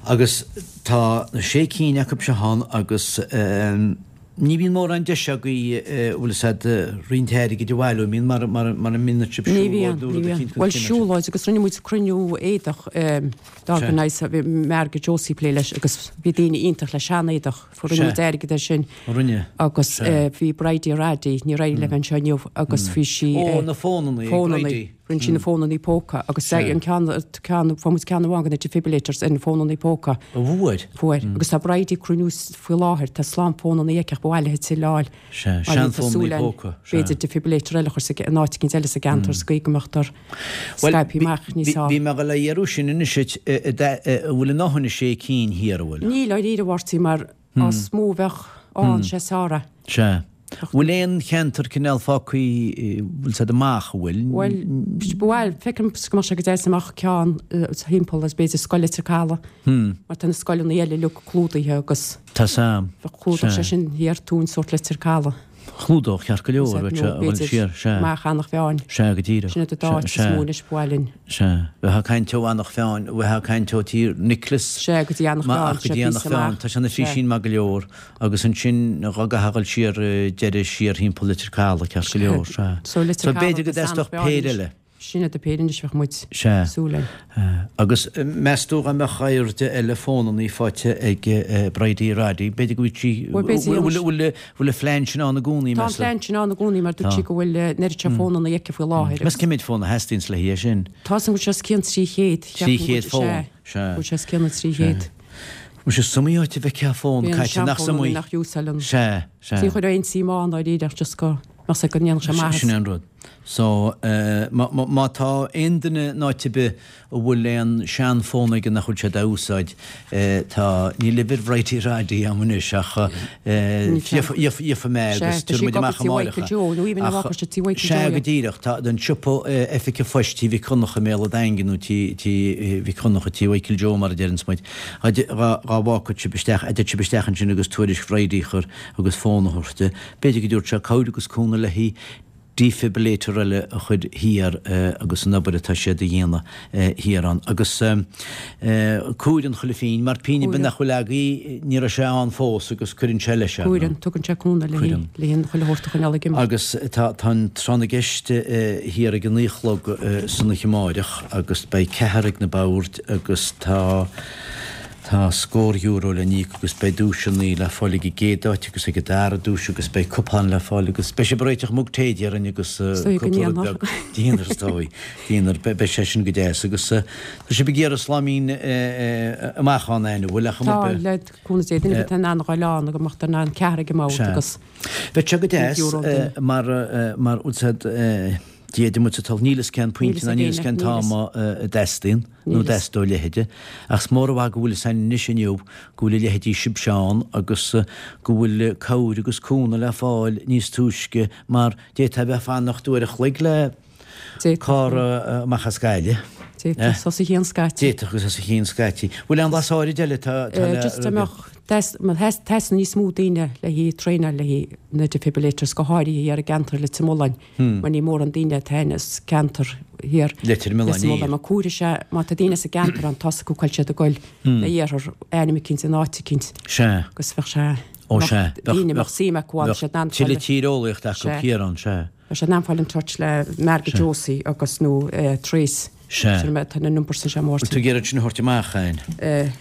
Agus tá na sé cinn acu seo ann agus, ehm, ní bhíonn mórán deis agaibh, eh, bhfuil fhios a'd, eh, roinnt airgid a bhailiú, mbíonn mar, mar, mar a mbíonn sibh Ní siúlóid bhíonn, nó ní rud bhíonn. eicínt den Bhuel, chineál sin. siúlóid agus rinne muid cruinniú éadach, ehm, d'organize, bhí Margaret Josie plé leis agus bhí daoine iontach le sean-éadach, fuair rinne Sea. muid airgead ar sin. Ó, rinne. Agus, Sea. eh, bhí Bridie Raddy, ní raibh le bheith anseo inniu, agus bhí sí, Ó, eh, na fónannaí, fónannaí. Bridie. Rinne sí na fónannaí póca agus Sea. an ceann, ceann, fuair muid ceann amháin de na defibrillators ar na fónannaí póca. Ó, bhfuair? Fuair. Agus tá Bridie cruinniú faoi láthair, tá slám fónannaí aici ach ba mhaith léi tuilleadh a fháil. Sea, Mar sean tá súil fónannaí ann, póca, sea. B'fhéidir defibrillator eile a chur sa gce-, in áit eicínt eile sa gceantar, sa gcaoi go mbeadh tar Bhuel, scaipthe bhí- amach níos bhí- fearr. Bhí mé ag dul a iarraidh sin anois, eh, eh, eh, eh, an bhfuil a ndóthain sé cinn thiar, an bhfuil? Níl dáiríre, a Mháirtín, mar is mó a bheadh ann sé is fearr é. Sea. Bhfuil aon cheantar cineál fágtha, bhfuil siad amach, an bhfuil? Bhuel, bhuel, feicim go mbeadh sé go deas amach ceann, eh, thimpeall is b'fhéidir scoil Leitir Caladh. Hmm. Mar tá na scoileanna eile uilig clúdaithe agus Tá sam. bheadh clúdach Sea. sé sin thiar túin sórt Leitir Caladh. Chlúdach ceart go leor, bheadh sé a bhfuil siar, sea. Amach Eanach Mheáin. Sea, go díreach. Sin iad an dá áit is Sea, mó anois ba mhaith linn. Sea. Bheadh ag caint ó Eanach Mheáin, bheadh ag caint ó Tír Nioclás. Sea, go dtí Eanach Ma, Mheáin, ach go sea, dtí Eanach píosa Mheáin, amach. tá sé na Sea. físín maith go leor, agus ansin dhá gcaithfeadh dul siar, eh, deireadh siar thimpeall Leitir Caladh, ceart go leor, sea. So Leitir So b'fhéidir Caladh go agus dteastódh Eanach Mheáin péire anois. eile. Sin iad na péirí anois bheadh muid Sea. súil linn. Agus meas tú dá mbeadh airde eile fónannaí faighte ag Bridie Roddy, b'fhéidir go bhfuil sí, Bhuel, b'fhéidir bhfuil, bhfuil, bhfuil an phlean sin ann i gcónaí, Tá an meas tú? plean sin ann i gcónaí mar dúirt sí go bhfuil an oiread seo fónannaí aici faoi láthair. Meas cé mhéad fón a theastaíonns le haghaidh sin? Tá san go bhfuil sé os cionn trí chéad. Trí chéad fón, sea. Go bhfuil sé os cionn an trí chéad. Bhfuil sé is iomaí áit a bhfeicfeá fón Bíonn caite, nach seanfhónannaí is iomaí? nach úsáideann. Sea, sea. Ní chuir aon suim ann dáiríre ach just go mbeadh sé go ndéanfadh sé maitheas. Sin é an rud. So, má, má, má tá aon duine in áit ar bith a bhfuil aon seanfhón aige nach bhfuil sé dá úsáid, tá, níl uimhir Bhridie Roddy agam anois ach gheobhaidh mé agus tabharfaidh muid amach amárach é. Sea, go díreach, tá an siopa Oifig an Phoist Tí Mhic Dhonncha i mBéal an Daingin nó Tí, Tí Mhic Dhonncha, Tí Mhichael Joe mar a deireanns muid. Dhá, dhá bhfágfadh sibh isteach, a dteid sibh isteach ansin agus tuairisc Bhridie a chur agus fón a thabhairt di. B'fhéidir go dtabharfadh sé cabhair agus cúnamh léi defibrillator eile a chur thiar agus an obair atá siad a dhéanamh thiar ann. Agus cúireann chuile phingin, mar pingin ar bith nach bhfuil agaibh, ní raibh sé ann fós agus cuireann sé leis, ar ndóigh. Cuireann, tugann sé cúnamh le le chuile shórt a choinneáil ag imeacht. Agus tá tá an tráth na gceist thiar ag a naoi a chlog san oíche amáireach agus beidh ceathrar ag na boird agus tá Tá scór euro le n-íoc agus beidh duaiseanna le fáil ag an gcéad áit agus ag an dara duais agus beidh cupán le fáil agus beidh sibh ag réiteach mug tae déarfainn agus cúpla rud beag dinnéar is dóigh. Dinnéar, beidh sé sin go deas agus tá sibh ag iarraidh sláimín amach ann an bhfuil ach Tá, le cúnamh Dé, duine ar bith atá in ann a ghoil ann go mbeadh in ann ceathrar ag an mbord agus Bheadh sé go deas mar mar úsáid Dia duit a toil, níl fhios cén pointe ná níl fhios cén t-am a dteastaíonn nó dteastódh a leithéide. Ach is mór an mhaith go bhfuil fhios againn anois inniu go bhfuil a leithéidí sibhse ann agus go bhfuil cabhair agus cúnamh le fáil níos túisce mar d'fhéadfá a bheith ag fanacht uair a chloig le carr amach as Gaillimh. D'fhéadfadh, os a chionn scaití. D'fhéadfadh agus os a chionn scaití. Bhfuil aon bhlas áirid eile atá le. Just dá mbeadh Theastaigh níos mó daoine le haghaidh traenáil le haghaidh na defibrillators, go háirithe thiar i gceantar Leitir Mealláin, mar ní mórán daoine atá ins ceantar thiar Leitir Mealláin, Leitir Mealláin. Mar cuirfidh sé, má tá daoine sa gceantar ann, tá fhios acu cá bhfuil siad ag goil na iarthar, ainm eicínt in áit eicínt. Sea. Agus bheadh sé, Ó sea, bheadh daoine, bheadh suim acu ann, siad in ann fáil. Tuilleadh tíreolaíochta acu thiar ann, sea. Bheadh siad in ann fáil in touch le Margaret Josie agus nó Trace. Sea. Sin tá na numbers anseo, a Bhfuil Mháirtín. tú ag iarraidh sin a thabhairt amach, Ann?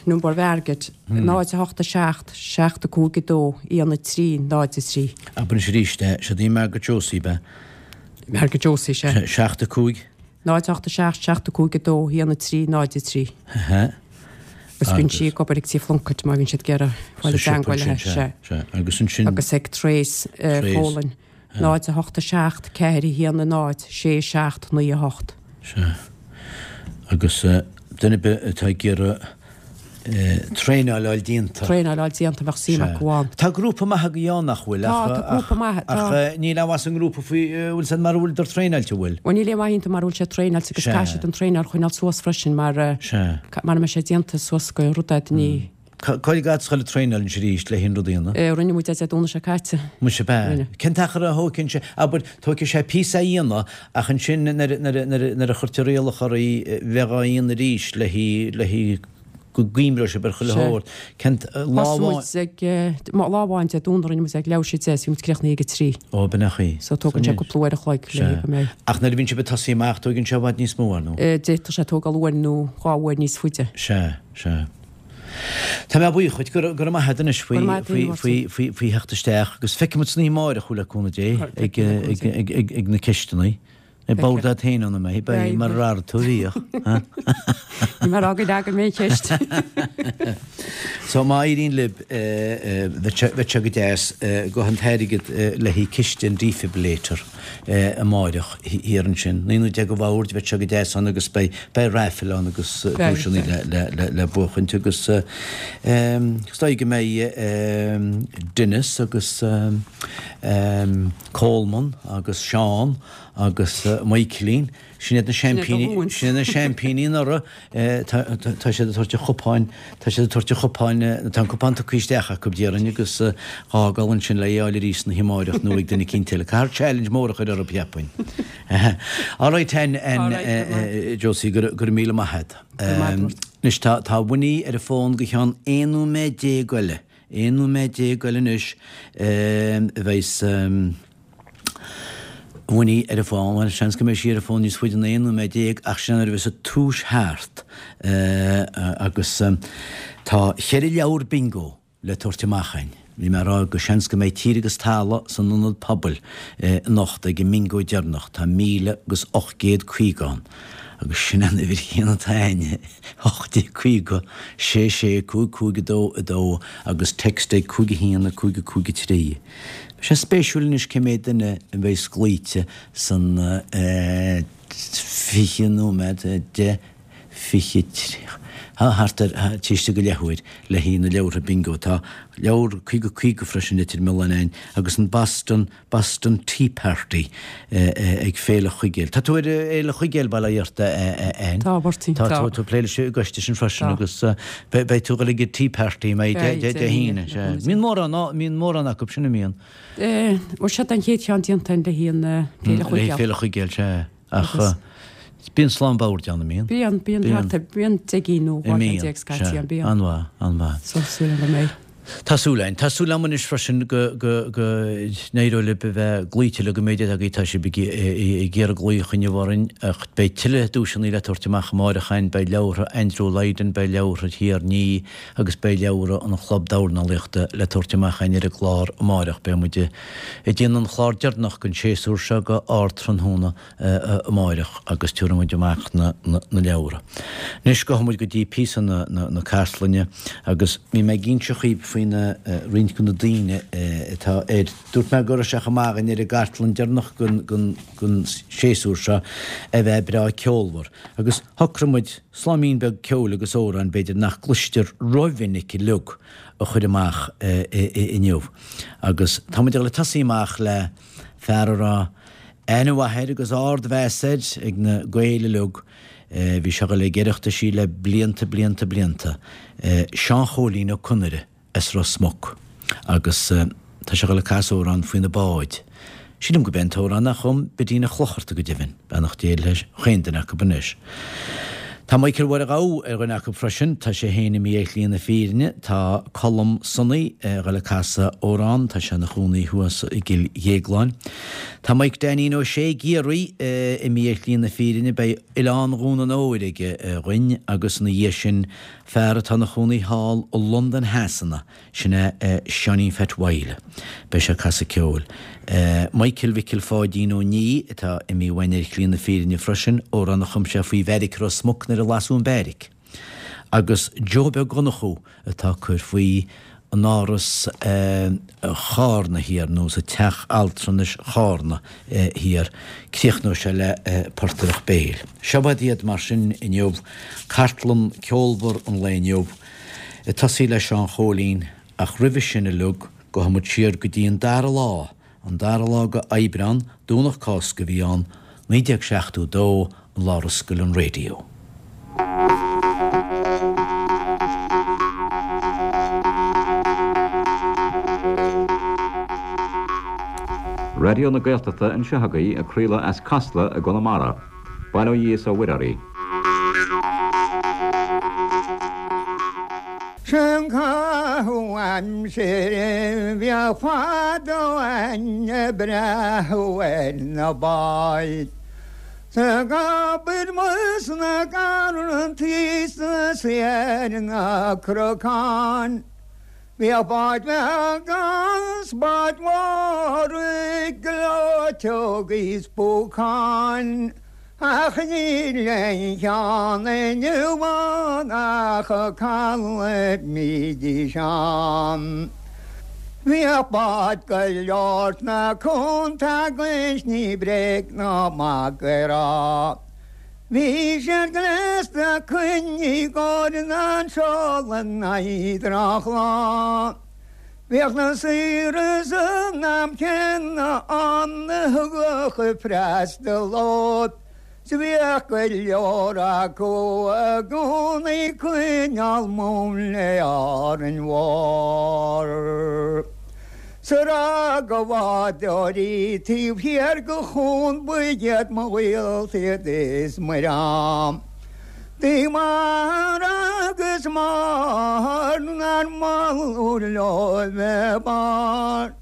Number Mhargaret, náid a hocht a seacht, seacht a cúig a dó, aon a trí, náid a trí. Abair anois arís é, siod í Margaret Josie, ab ea? Margaret Josie, sea. Seacht a cúig. Náid a hocht a seacht, seacht a cúig a dó, aon a trí, náid a trí. Aha. Agus bíonn sí ag obair ag Tí Phlunkett má bhíonn siad ag iarraidh fáil i dteangmháil léi, sea. Sea, agus ansin. Agus ag Trace Folan, náid a hocht a seacht, ceathair a haon a náid, sé seacht naoi a hocht. Sea. Agus duine ar bith atá ag iarraidh traenáil a fháil déanta. Traenáil a fháil déanta, bheadh suim acu ann. Tá grúpa maith agaibh ann, nach bhfuil? Tá, tá grúpa maith, tá. Ach níl aon mhaith sa ngrúpa faoi, bhfuil 's a'd mara bhfuileadar traenáilte, bhfuil? Bhuel, níl aon mhaith iontu mara bhfuil siad traenáilte agus caithfidh siad an traenáil a choinneáil suas freisin mar, mara mbeidh sé déanta suas go rud é, ní. Cá fhad a ghabháil ag traenáil anois arís le haon rud a dhéanamh? Rinne muid é Dé Domhnaigh seo caite. Muise ab ea? Rinne. Cén t-achar a thóigeann sé? Abair, tóigfidh sé píosa a dhéanamh ach ansin nuair a chuirtear iallach oraibh bheith á dhéanamh arís le haghaidh, le haghaidh go gcuimreoidh sibh ar chuile Sea. shórt. Cén lá Thosaigh amháin? muid ag, lá amháin Dé Domhnaigh rinne muid ag leathuair tar éis a deich is bhí muid críochnaithe ag a trí. Ó, b'in é an chaoi. So tógann sé cúpla uair a chloig le Sea. go mbeidh. Ach nuair a bhíonn sibh ag tosaí amach tóigeann sé i bhfad níos mó, ar ndóigh. D'fhéadfadh sé tógáil uair nó dhá uair níos faide. Sea, sea. Tá mé buíoch dhuit, go raibh maith agat anois faoi theacht isteach agus feicfidh muid san oíche amáireach thú le cúnamh Dé ag na ceisteanna. Ag bord agat féin ann a mbeidh, beidh mar ar tú bhíodh. Ní mar fhág leagan mé an cheist. So má éiríonn libh bheadh sé go deas go an t-airgead le haghaidh ciste an defibrillator amáireach thiar ansin. Naoi nó deich go bhord, bheadh sé go deas ann agus beidh beidh raffle ann agus duaiseanna le le le le buachaint agus is dóigh go mbeidh Denis agus Coleman agus Seán agus Michaelín, sin iad na seaimpíní, sin iad na seaimpíní anuraidh, tá tá siad ag tabhairt an chupáin, tá siad ag tabhairt an chupáin, tá an cupán tugtha isteach acu déarfainn agus dhá dhul ansin le é a fháil arís san oíche amáireach nó ag duine eicínt eile. Caithfear challenge mór a chur orthu cheapfainn. All right then, Josie, go raibh míle maith agat. Anois tá tá Winnie ar an bhfón go cheann aon nóiméad déag eile, aon nóiméad déag eile anois a bheas. Winnie ar an bhfón, bhuel, seans go mbeidh sí ar an bhfón níos faide ná aon nóiméad déag ach sin nuair a bheas an tomhas thart agus tá cheithre leabhar bingo le tabhairt amach againn. Bhí mé ag rá go seans go mbeidh tír agus talamh san ionad pobail anocht ag an mbingo deireanach, tá míle agus ocht gcéad caoga ann agus sin an uimhir chéanna atá againn, ocht déag caoga, sé sé, cúig cúig a dó a dó agus text ag cúig a haon a cúig a cúig a trí. Beidh sé spéisiúil anois cé mhéad duine a bheas glaoite san fiche nóiméad, deich, fiche, tríocha, thart ar taobh istigh de leathuair le haghaidh na leabhartha bingo. Tá leabhar caoga caoga freisin Leitir Mealláin againn agus an Boston Boston Tea Party ag Féile Chuigéil. Tá tú ar Fhéile Chuigéil, bail ó Dhia ort, Ann? Tá, Mháirtín, Tá tá. tú ag plé leis an gcoiste sin freisin Tá. agus beidh tú ag dul ag an Tea Party mbeidh Beidh, Dé Dé hAoine. hAoine, Sea. Mbíonn mórán, mbíonn mórán acu sin a mbíonn. Bhuel, seo an chéad cheann déanta le haghaidh an Féile Le Chuigéil. Féile Chuigéil, sea. Ach Agus- bíonn slám boird ann, an mbíonn? Bíonn, bíonn Bíonn. thart ar, bíonn deich gcinn nó dhá cheann déag scaití ann, bíonn. An-mhaith, an-mhaith. So súil agam go mbeidh. Tá súil againn. Tá súil agam anois freisin go go go n-éireoidh libh a bheith glaoite le go mbeidh deis agaibh, tá sibh ag ag iarraidh glaoch inniu orainn ach beidh tuilleadh duaiseanna le tabhairt amach amárach againn, beidh leabhartha Andrew Lydon, beidh leabhartha Thír an Fhia agus beidh leabhartha an Chlub Dornálaíochta le tabhairt amach againn ar an gclár amárach. Beidh muid ag déanamh an chlár deireanach den séasúr seo go ardtráthnóna amáireach agus tabharfaidh muid amach na leabhra. Anois gabhfaidh muid go dtí píosa na cartlainne agus bhí mé ag inse dhaoibh faoina roinnt de na daoine atá air. Dúirt mé go raibh sé chomh maith againn ar an gcartlann deireanach den séasúr seo a bheith breá ceolmhar agus shocraigh muid sláimín beag ceoil agus amhráin b'fhéidir nach gcloistear rómhinic uilig a chur amach inniu. Agus tá muid ag dul ag tosaí amach le fear a raibh aithne mhaith air agus ardmheas air ag na Gaeil uilig. Bhí sé ag dul ag Oireachtaisí le blianta, blianta, blianta. Seán Chóilín Ó Conaire as Ros Muc. Agus tá sé ag dul ag casadh amhrán faoi na báid. Sílim go b'é an t-amhrán a chum Bidín Ó Chlochartaigh go deimhin, beannacht Dé leis chaon duine acu anois. Tá Michael Mháire Ghabha ar dhuine acu freisin, tá sé féin imithe ar shlí na fírinne, tá Colm Sonaí ag dul ag casadh amhrán, tá sé ina chónaí thuas i gCill Dhéagláin. Tá Mike Dainín Ó Sé i gCiarraí imithe ar shlí na fírinne, beidh Oileán Dhún an Óir aige dhuinn agus ina dhiaidh sin fear atá ina chónaí thall i Londain Shasana, sin é Seáinín Phat Mhaidhc. Beidh sé ag casadh ceoil. Michael Mhicil Pháidín Ó Ní atá imithe uainn ar shlí na fírinne freisin, amhrán a chum sé faoi bheairic Ros Muc nuair a lasadh an beairic. Agus Joe Beag Dhonnchú atá ag cur faoi in áras Chárna thiar, nó sa teach altranais Chárna thiar. Críochnóidh sé le portaireacht béil. Seo iad mar sin inniu, cartlann ceolmhar an lae inniu, ag tosaí le Seán Chóilín, ach roimhe sin uilig, gabhfaidh muid siar go dtí an dara lá, an dara lá de Aibreán, Domhnach Cásca a bhí ann, naoi déag seachtó dó, an lá ar oscail an raidió. Raidió na Gaeltachta anseo agaibh ag craoladh as Casla i gConamara. Bail ó Dhia is ó Mhuire oraibh. Sin caitheamh aimsire bheadh fadó aithne breá ar na báid. Sa gcabair mus na garrantaí sna saor na crocáin. Bhíodh báid bheaga 's báid mhóra gleoiteogaí 's púcáin, ach níl aon cheann inniu ann ach caladh mbídís ann. Bhíodh báid go leor sna cuanta againn 's ní bréag ná magadh a rá. Bhí siad gléasta coinnigh i gcomhair an seoladh in aghaidh drochlá. Bhíodh na saoire san am céanna ann a thugadh freastal orthu, 's bhíodh go leor acu i gcónaí ag coinneáil mún le Árainn Mhór. 'S a rá gur bádóirí taobh thiar de chuan ba iad mo ghaolta iad is mo dhream. D'ith m'athair agus máthair nár mhallú leo bheith bard.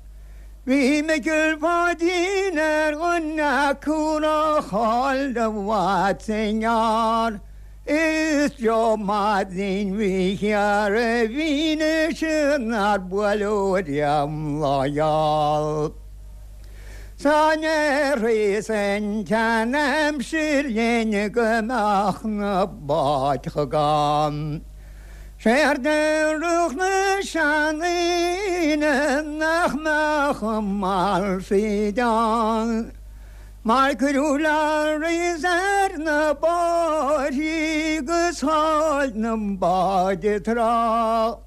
Bhí Micil Pháidín ar dhuine acu nár chaill i bhfad sa ngearr. Is Joe Maidín Mhícheáil a bhí nár bualadh riamh lá geal. San rí an tseanaimsir linn go mbeadh na báid chomh gann. Séard a déarfadh na seandaoine nach mbeadh a malraí ann. Mar cuireadh lorries ar na bóithrí 'gus chaill na báid an trá.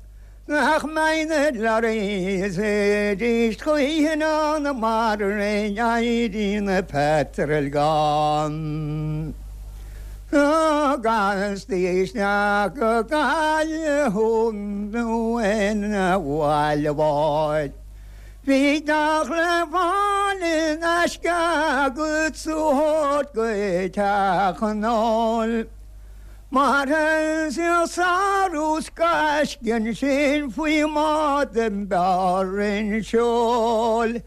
Nach mbeidh na lorries arís choíche ann mara n-éirí na petrol gann. Agus isteach go Gaillimh nó ina bhaile bháid. Bhí gach le fáil in aisce agat sa thabhairt go teach an óil. Mar is sárú gaisce sin faoi mbád an b'fhearr an seol.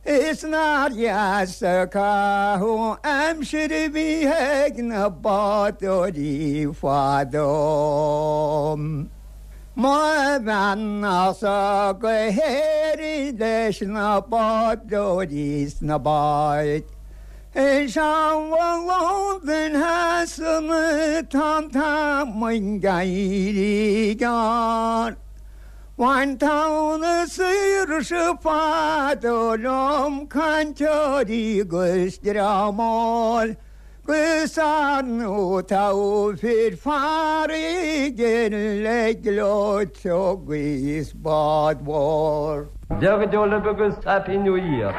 Is nár dheas an caitheamh aimsire a bhí ag na bádóirí fadó. Mo bheannachtsa go hÉirinn leis na bádóirí sna báid. Is amhail Londain Shasana tá an t-am ag éirí gearr. Bhain tonn na saoirse fadó liom cainteoirí 'gus dream óil. 'Gus ar ndóigh tá fir farraige le gleoiteog is bád mhór. Dia go deo libh agus Happy New Year.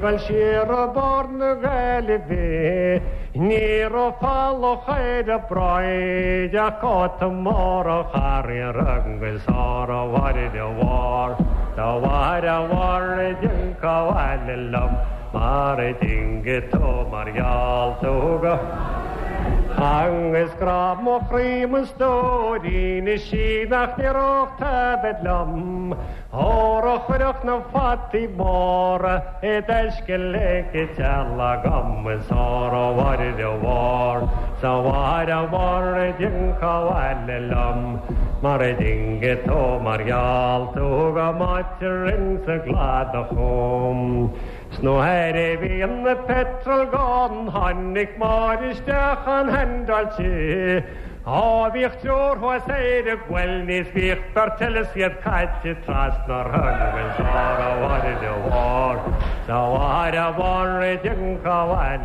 Gabháil siar ó bord na Gaillimhe, ní raibh falach ar a bráid ach cóta mór ó Charraig agus ór a mhair a mhór, dá mhair a mhór a d'fhionn abhaile liom, mar a d'fhionn tú mar gheall tú go. Agus grá mo chroí mo stóirín is sí nach ndéarfadh tada liom, Ór a chuirfeadh na fataí móra i dtaisce le teall agam is ór a mhair a mhór, sa mhair a mhór a d'fhionn abhaile liom, mar a d'fhionn tú mar gheall tú go mbáitear insa gcladach chum. Snuair a bhí an na petrol gann tháinig Máire isteach an handáilte, Á bhíoh teor thuas éire bhfuil níos bhíoh bertelle siad caite trasna agus á bhhair bhar Sa bhhair a bhar dinka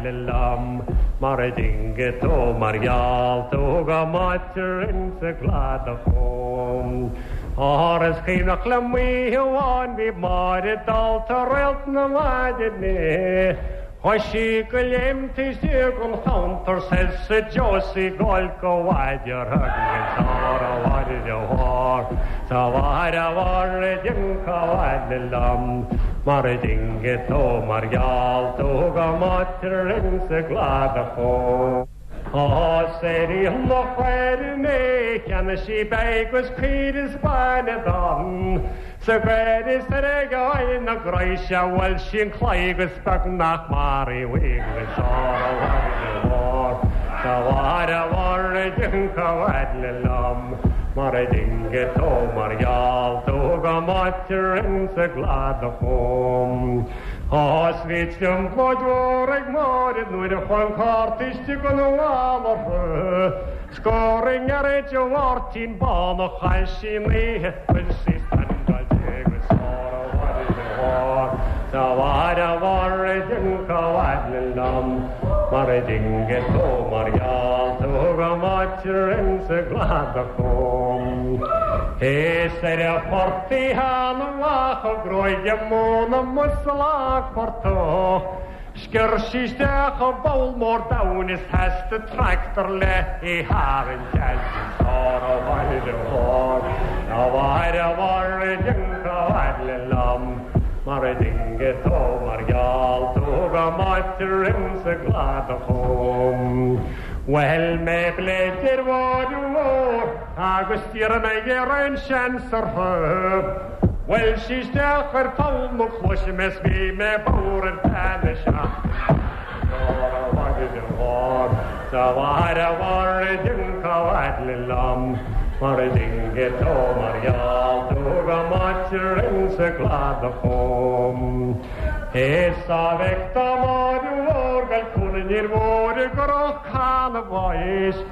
liom mar a dinge tó mar gheall tú go máitir insa gcladach chum. Áras chéimneach le muoháin bhí mar dalta réalt na maidine. Chuaigh sí go léim istigh an counter sa Josie gáil go bhaidir agus á bhhair bhar Sa bhhair a bhar dinka liom mar a dinge tó mar gheall tú go máitir insa gcladach chum. Á séirí an chuir mé cheanna sí begus cuiir Spáine dan. Sa gcuir is ar gáin na gréise bhfuil sin chlégus beag nach mar i bhuigus á Sa bhhair a bhar dinka liom mar a dinge tó mar gheall tú go máitir insa gcladach chum. Ás bhí trioblóid ag máid nuair a chuan cártíiste go bhálar Scóring ar é Mháirtín bán a chail sí léithe bhfuil sí Sa bhhair a bhar dinka liom mar a dinge tó mar gheall tú go máitir insa gcladach chum. Is ar a fortaí amach a gróige móna musalach fortó. Scior sí isteach a ball mór domhain is theasta tractor le i haran á bhaile bhar A bhair a bhar dinka liom mar a dinge tó mar gheall tú go máitir insa gcladach chum. Well mé bléidir bháir mhór agus tír mé ar seansar thub. Well sí isteach ar poll mo chluaise is bhí mé bodhar ar feadh na seachtaine. Sa bhhair a bhar dinka liom mar a dinge tó mar gheall tú go máitir insa gcladach chum. Is a bheith mar mhór gal cúna mhór go cana bhais.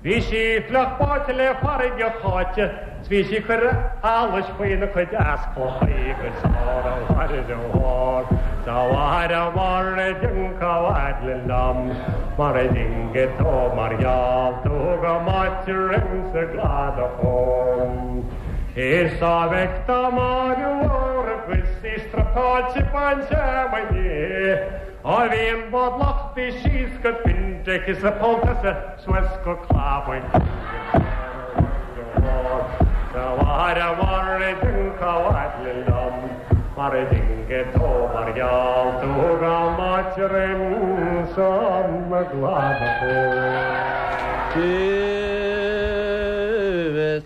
Bhí sí fliuch báite le farraige cháite, 's bhí sí chuir allais faoina cuid easclochaí agus á bhhair bhar. Sa bhhair a bhar dinka liom mar a dinge tó mar gheall tú go máitir insa gcladach chum. Is a bheith mar mhór agus í strapáilte bainte mai Á bhíon bod lochtaí síos go bindech is a póntasa suas go clábain. Sa bhhair a bhar dinka liom mar a dinge tó mar gheall tú go máitir insa gcladach chum.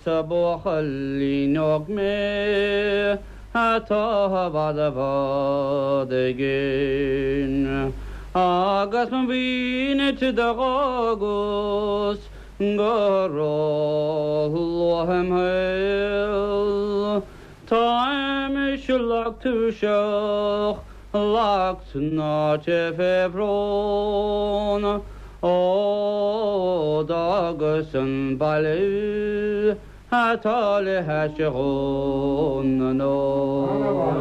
Sa buachaillín óg mé atá bhad a bhad again. Agus mo mhínit do agus go róluath im shaol. Táim lag tuirseach lag tnáite fé bhrón. Ó d'fhágas an baile atá le hais Dhún na nGall.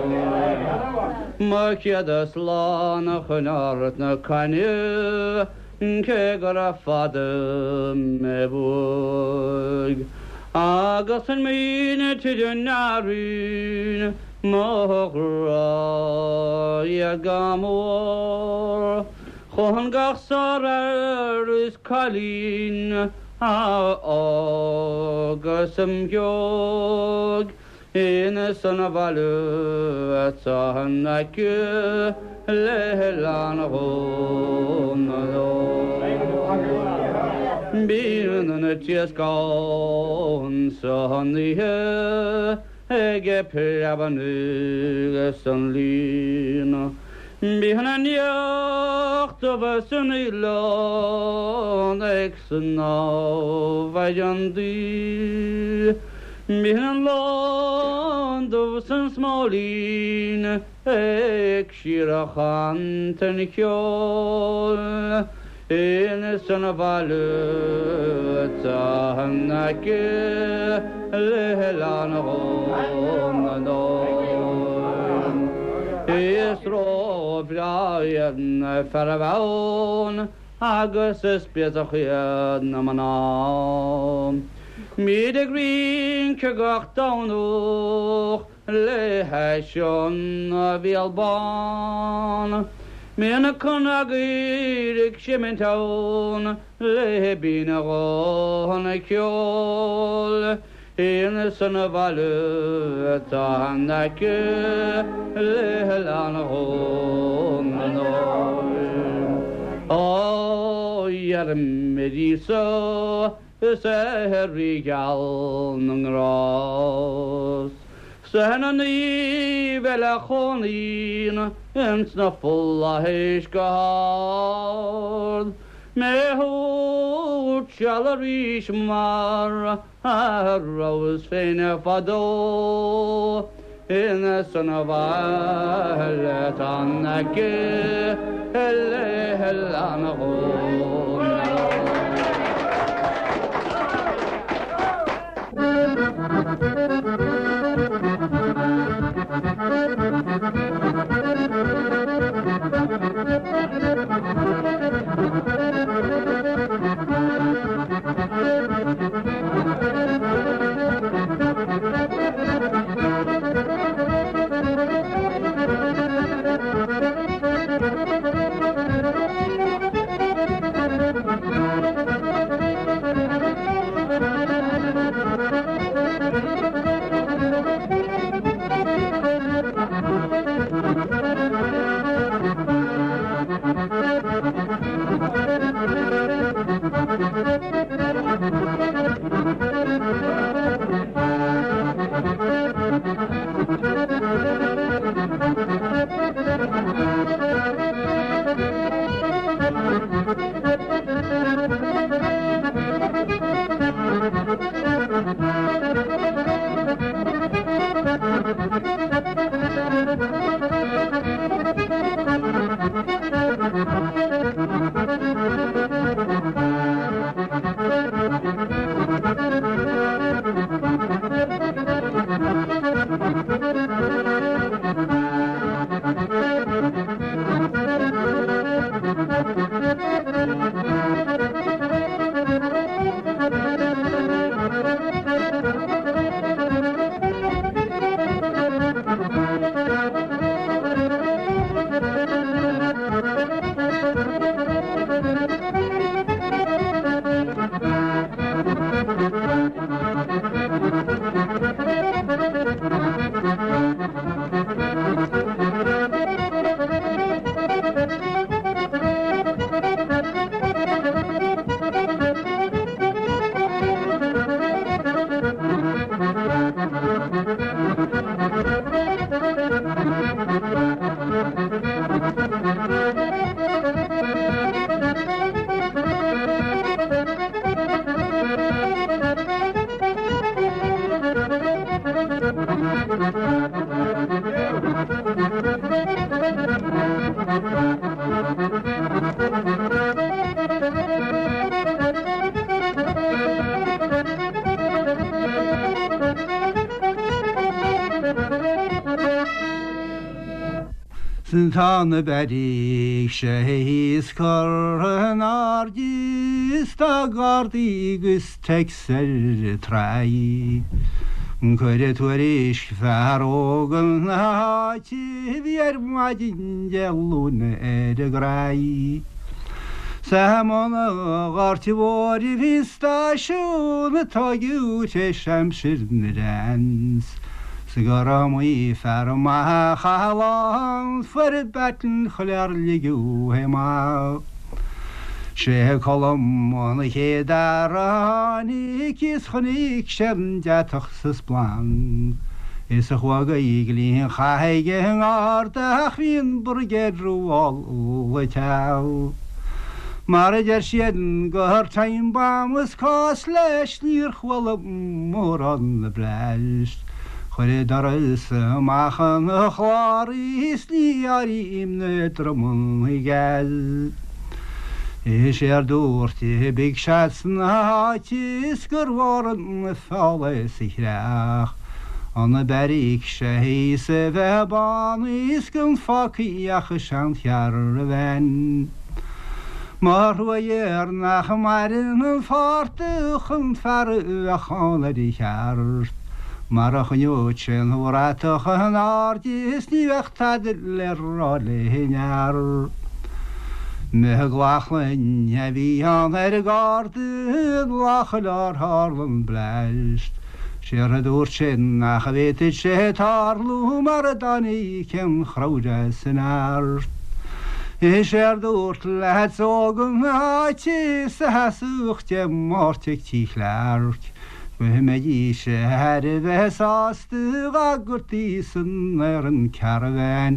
Mo chéad slán a chun Ard na Caithne cé gur fada mé uaidh. Agus an míne an airín mo ghrá go mór. Chun gach sár is cailín agus am geog ina san a bhaile atá an aice le hoileán Dhún na nGall. Bíonn an troscán san oíche ag preabadh agus an líon. Bíonn an each dubh san oileán ag snámh ag an dí. Bíonn an lán dubh san smailín ag síorchaint an cheoil. Ins an bhaile atá in aice le hOileán Dhún na nDúin. Is róbhreá iad na fearaibh ann agus is béasach iad na mná. Bíd ag rince gach Domhnach le hais an Bhéal Bán. Bíonn na cnaguir ag seimint ann le binn a ghuthanna ceoil. Ins an bhaile atá in aice le hOileán Dhún na nDúin. Ó dheirim ar Íosa is é rí geal na ngrást. 'S na naoimh eile a chónaíonn ins na flaithis go hard. Mé a thabhairt seal arís mar a rabhas féin fadó. Ins an bhaile atá in aice le hOileán Dhún na nDúin. Tá na beirigh sé thíos curtha in airde is tá gardaí agus Tex ar an tráigh. Cuireadh tuairisc fear óg na háite a bhí ar maidin Dé Luain ar an gcraí. Sa mbun an Ghoirt Mhóir a bhí stáisiún a tógadh tar éis aimsir na Wrens. 'S gur iomaí fear maith a chaith a lá ann fuair baton chular ligeadh é amach. Sé Colm an chéad fhear a tháinig is chonaic sé an deatach sa splanc. Is a chuaigh go dtí an chath ag an ngarda ach bhí an brigéad rómhall le teacht. Mar a deir siad gur time bomb is cás leis níor chuala mórán na blast. Chuir doras amach an chlár is ní áirím na dromanna geal. Is ar dúirt big seat sna háit is gur mhór an feall sa chreach. An na beríc sé hí a bheith bán is gan fácaíoch sean chear a bhean. Mar thuir nach maireann an fáirta chun fear a chála de cheart. Mar a chuneod sin thuratach an aird is ní bheadh tada le rá le near. Me glachlainn a bhí an ar a garda lachaileár Harlan Blast. Séar a dúirt sin nach a bhéit sé tarlú mar a daní cen chráide san art. Is ar dúirt le ógan áite sa hasúchte máirteach tí chlearc. Go mbeidís sé thar a bheith sásta agurtaí san ar an caravan.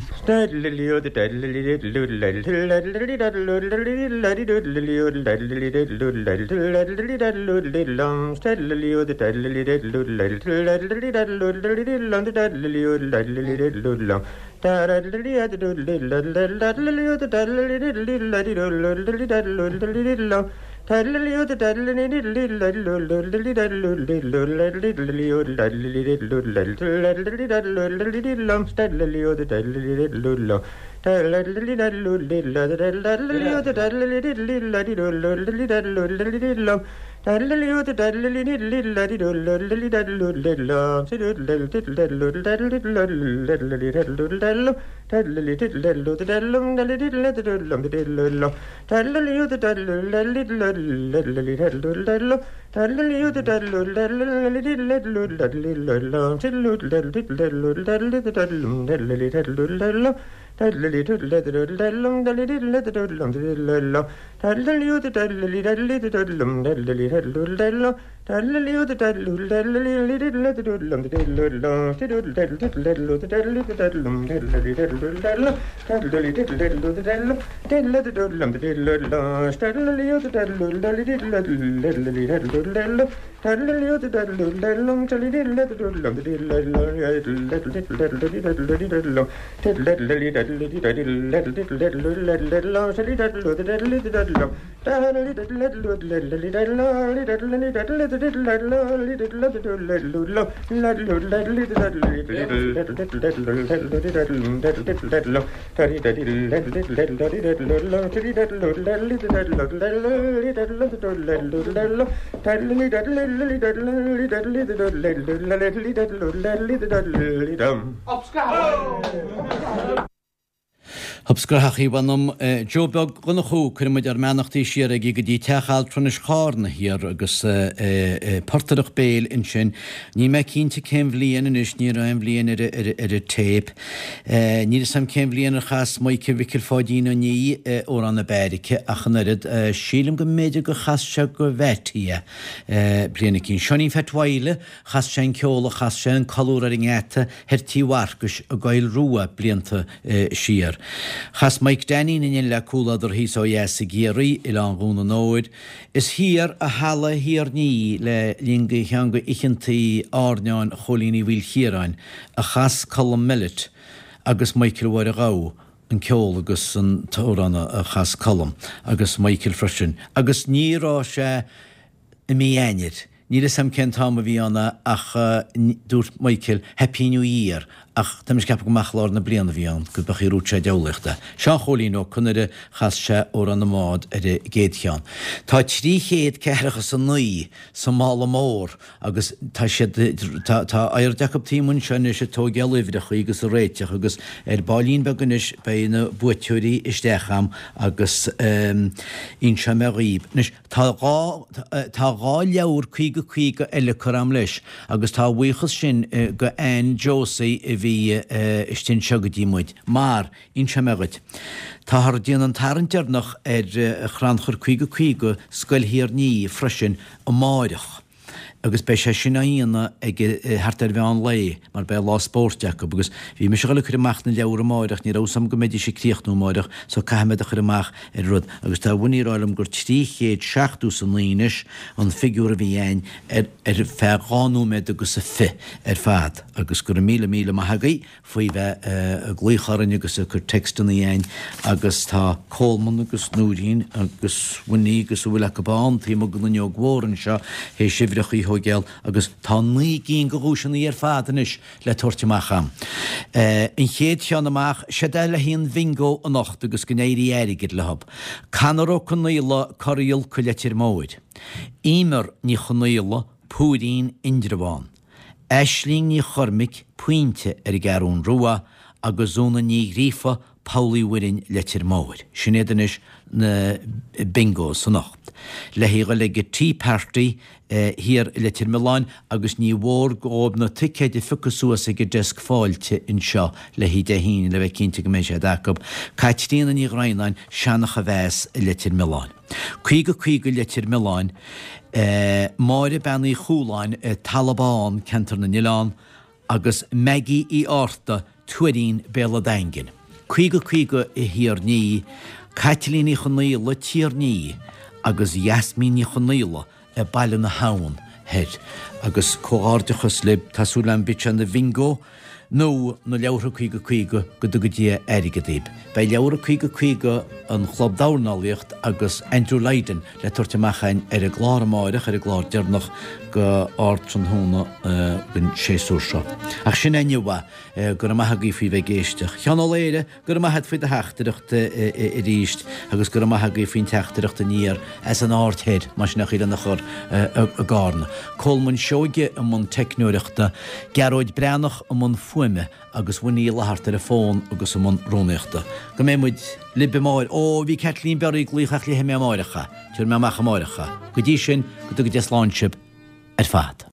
Hubscrachaí bhanam Joe Beag Dhonnchú cuirimid ár mbeannachtaí siar aige go dtí teach altranais Chárna thiar agus portaireacht béil ansin. Ní mé cinnte cén bhliain anois, ní raibh aon bhliain ar ar an téip. Níl fhios agam cén bhliain ar chas Michael Mhicil Pháidín Ó Ní Amhrán na Beairice ach an oiread sílim go mb'fhéidir gur chas sé go Bheatí bliain eicínt. Seáinín Pheait Mhaidhle, chas sé an ceol a chas sé an colúr ar an ngeata thoir tí Mharcais i gCoill Rua blianta siar. Chas Mike Danny in le cúladar thíos ó dheas i gCiarraí, Oileán Dhún an Óir. Is thiar a halla thiar ní le linn go cheann go oícheantaí airneáin Chóilín Uí Mhaoilchiaráin a chas Colm Mellet agus Michael Mháire Ghabha an ceol agus an t-amhrán a chas Colm agus Michael freisin. Agus ní raibh sé i mí Eanáir. Níl fhios agam cén t-am a bhí ann ach dúirt Michael Happy New Year ach tá mise ag ceapadh go mbeadh lár na bliana a bhí ann go beadh rúid sé deabhlaíochta. Seán Chóilín Ó Conaire chas sé Amhrán na mBád ar an gcéad cheann. Tá trí chéad ceathracha a naoi sa mála mór agus tá siad tá tá aird acu taobh anseo anois ag tógáil uimhreacha agus a réiteach agus ar baillín beag anois beidh na buaiteoirí isteach am agus inseoidh mé dhaoibh. Anois tá dhá tá dhá leabhar caoga caoga eile cur am leis agus tá buíochas sin go Anne Josie a bhí istigh anseo go dtí muid. Mar inseoidh mé dhuit. Táthar ag déanamh an tarraingt deireanach ar chrannchur caoga caoga Scoil Thír Ní freisin amárach. Agus beidh sé sin á dhéanamh ag thart ar mheán lae mar beidh lá spóirt acu agus bhí mise ag dul ag cur amach na leabhar amáireach, ní raibh 'fhios a'm go mbeidís ag críochnú amáireach so caithfidh mé iad a chur amach ar rud agus tá Winnie ag rá liom gur trí chéad seachtó is a naoi anois an figiúr a bhí a'inn ar ar feadh dhá nóiméad agus a fiche ar fad agus go raibh míle míle maith agaibh faoi bheith ag glaoch orainn agus ag cur textanna a'inn agus tá Coleman agus Nóirín agus Winnie agus a bhfuil acu ann taobh amuigh den fhuinneog mhór anseo théis uimhreacha a thógáil agus tá naoi gcinn de dhuaiseanna ar fad anois le tabhairt amach a'm. An chéad cheann amach, siod é le haghaidh an bhingo anocht agus go n-éirí airgead leo. Conor Ó Conaola, Corraíl, Co Leitir Móir. Emer Ní Chonaola, Púirín, Indreabhán. Aisling Ní Chormaic, Pointe, ar an gCeathrún Rua, agus Úna Ní Ghríofa, Poll Uí Mhuirinn, Leitir Móir. Sin iad anois na bingos anocht. Le haghaidh dhul ag an Tea Party thiar i Leitir Mealláin agus ní mhór dhóibh na ticéid a phiocadh suas ag an deasc fáilte anseo le haghaidh Dé hAoine le bheith cinnte go mbeidh siad acu. Caitríona Ní Dhroighneáin, Seancha Mheas i Leitir Mealláin. Caoga caoga Leitir Mealláin, Máire Bean Uí Chualáin, Talamh Bán, Ceantar na nOileán, agus Maggie Uí Fhátharta, Tuairín, Béal a' Daingin. Caoga caoga i Thír an Fhia, Caitlín Uí Chonaola, Tír an Fhia, agus Yasmin Ní Chonaola i Baile na hAbhann Thoir. Agus comhghairdeachas libh, tá súil agam bíodh sé ina bhingo nó na leabhartha caoga caoga go dtuga Dia airgead daoib. Beidh leabhar caoga caoga an Chlub Dornálaíocht agus Andrew Lydon le tabhairt amach againn ar an gclár amáireach, ar an gclár deireanach go Ardtráthnóna den séasúr seo. Ach sin é inniu é. Go raibh maith agaibh faoi bheith ag éisteacht. Sheán Ó Laoire, go raibh maith agat faoi do theachtaireacht arís agus go raibh maith agaibh faoin teachtaireacht aniar as an Aird Thoir, más sin é an chaoi lena chur i gCarna. Colman Seoige i mbun teicneoireachta, Gearóid Breathnach i mbun fuaime agus Winnie Uí Fhlatharta ar an bhfón agus i mbun rúnaíochta. Go mbeidh muid libh amáireach. Ó, bhí Kathleen Berry ag glaoch ach léifidh mé amáireach é. Tabharfaidh mé amach amáireach é. Go dtí sin, go dtuga Dia slán sibh ar fad.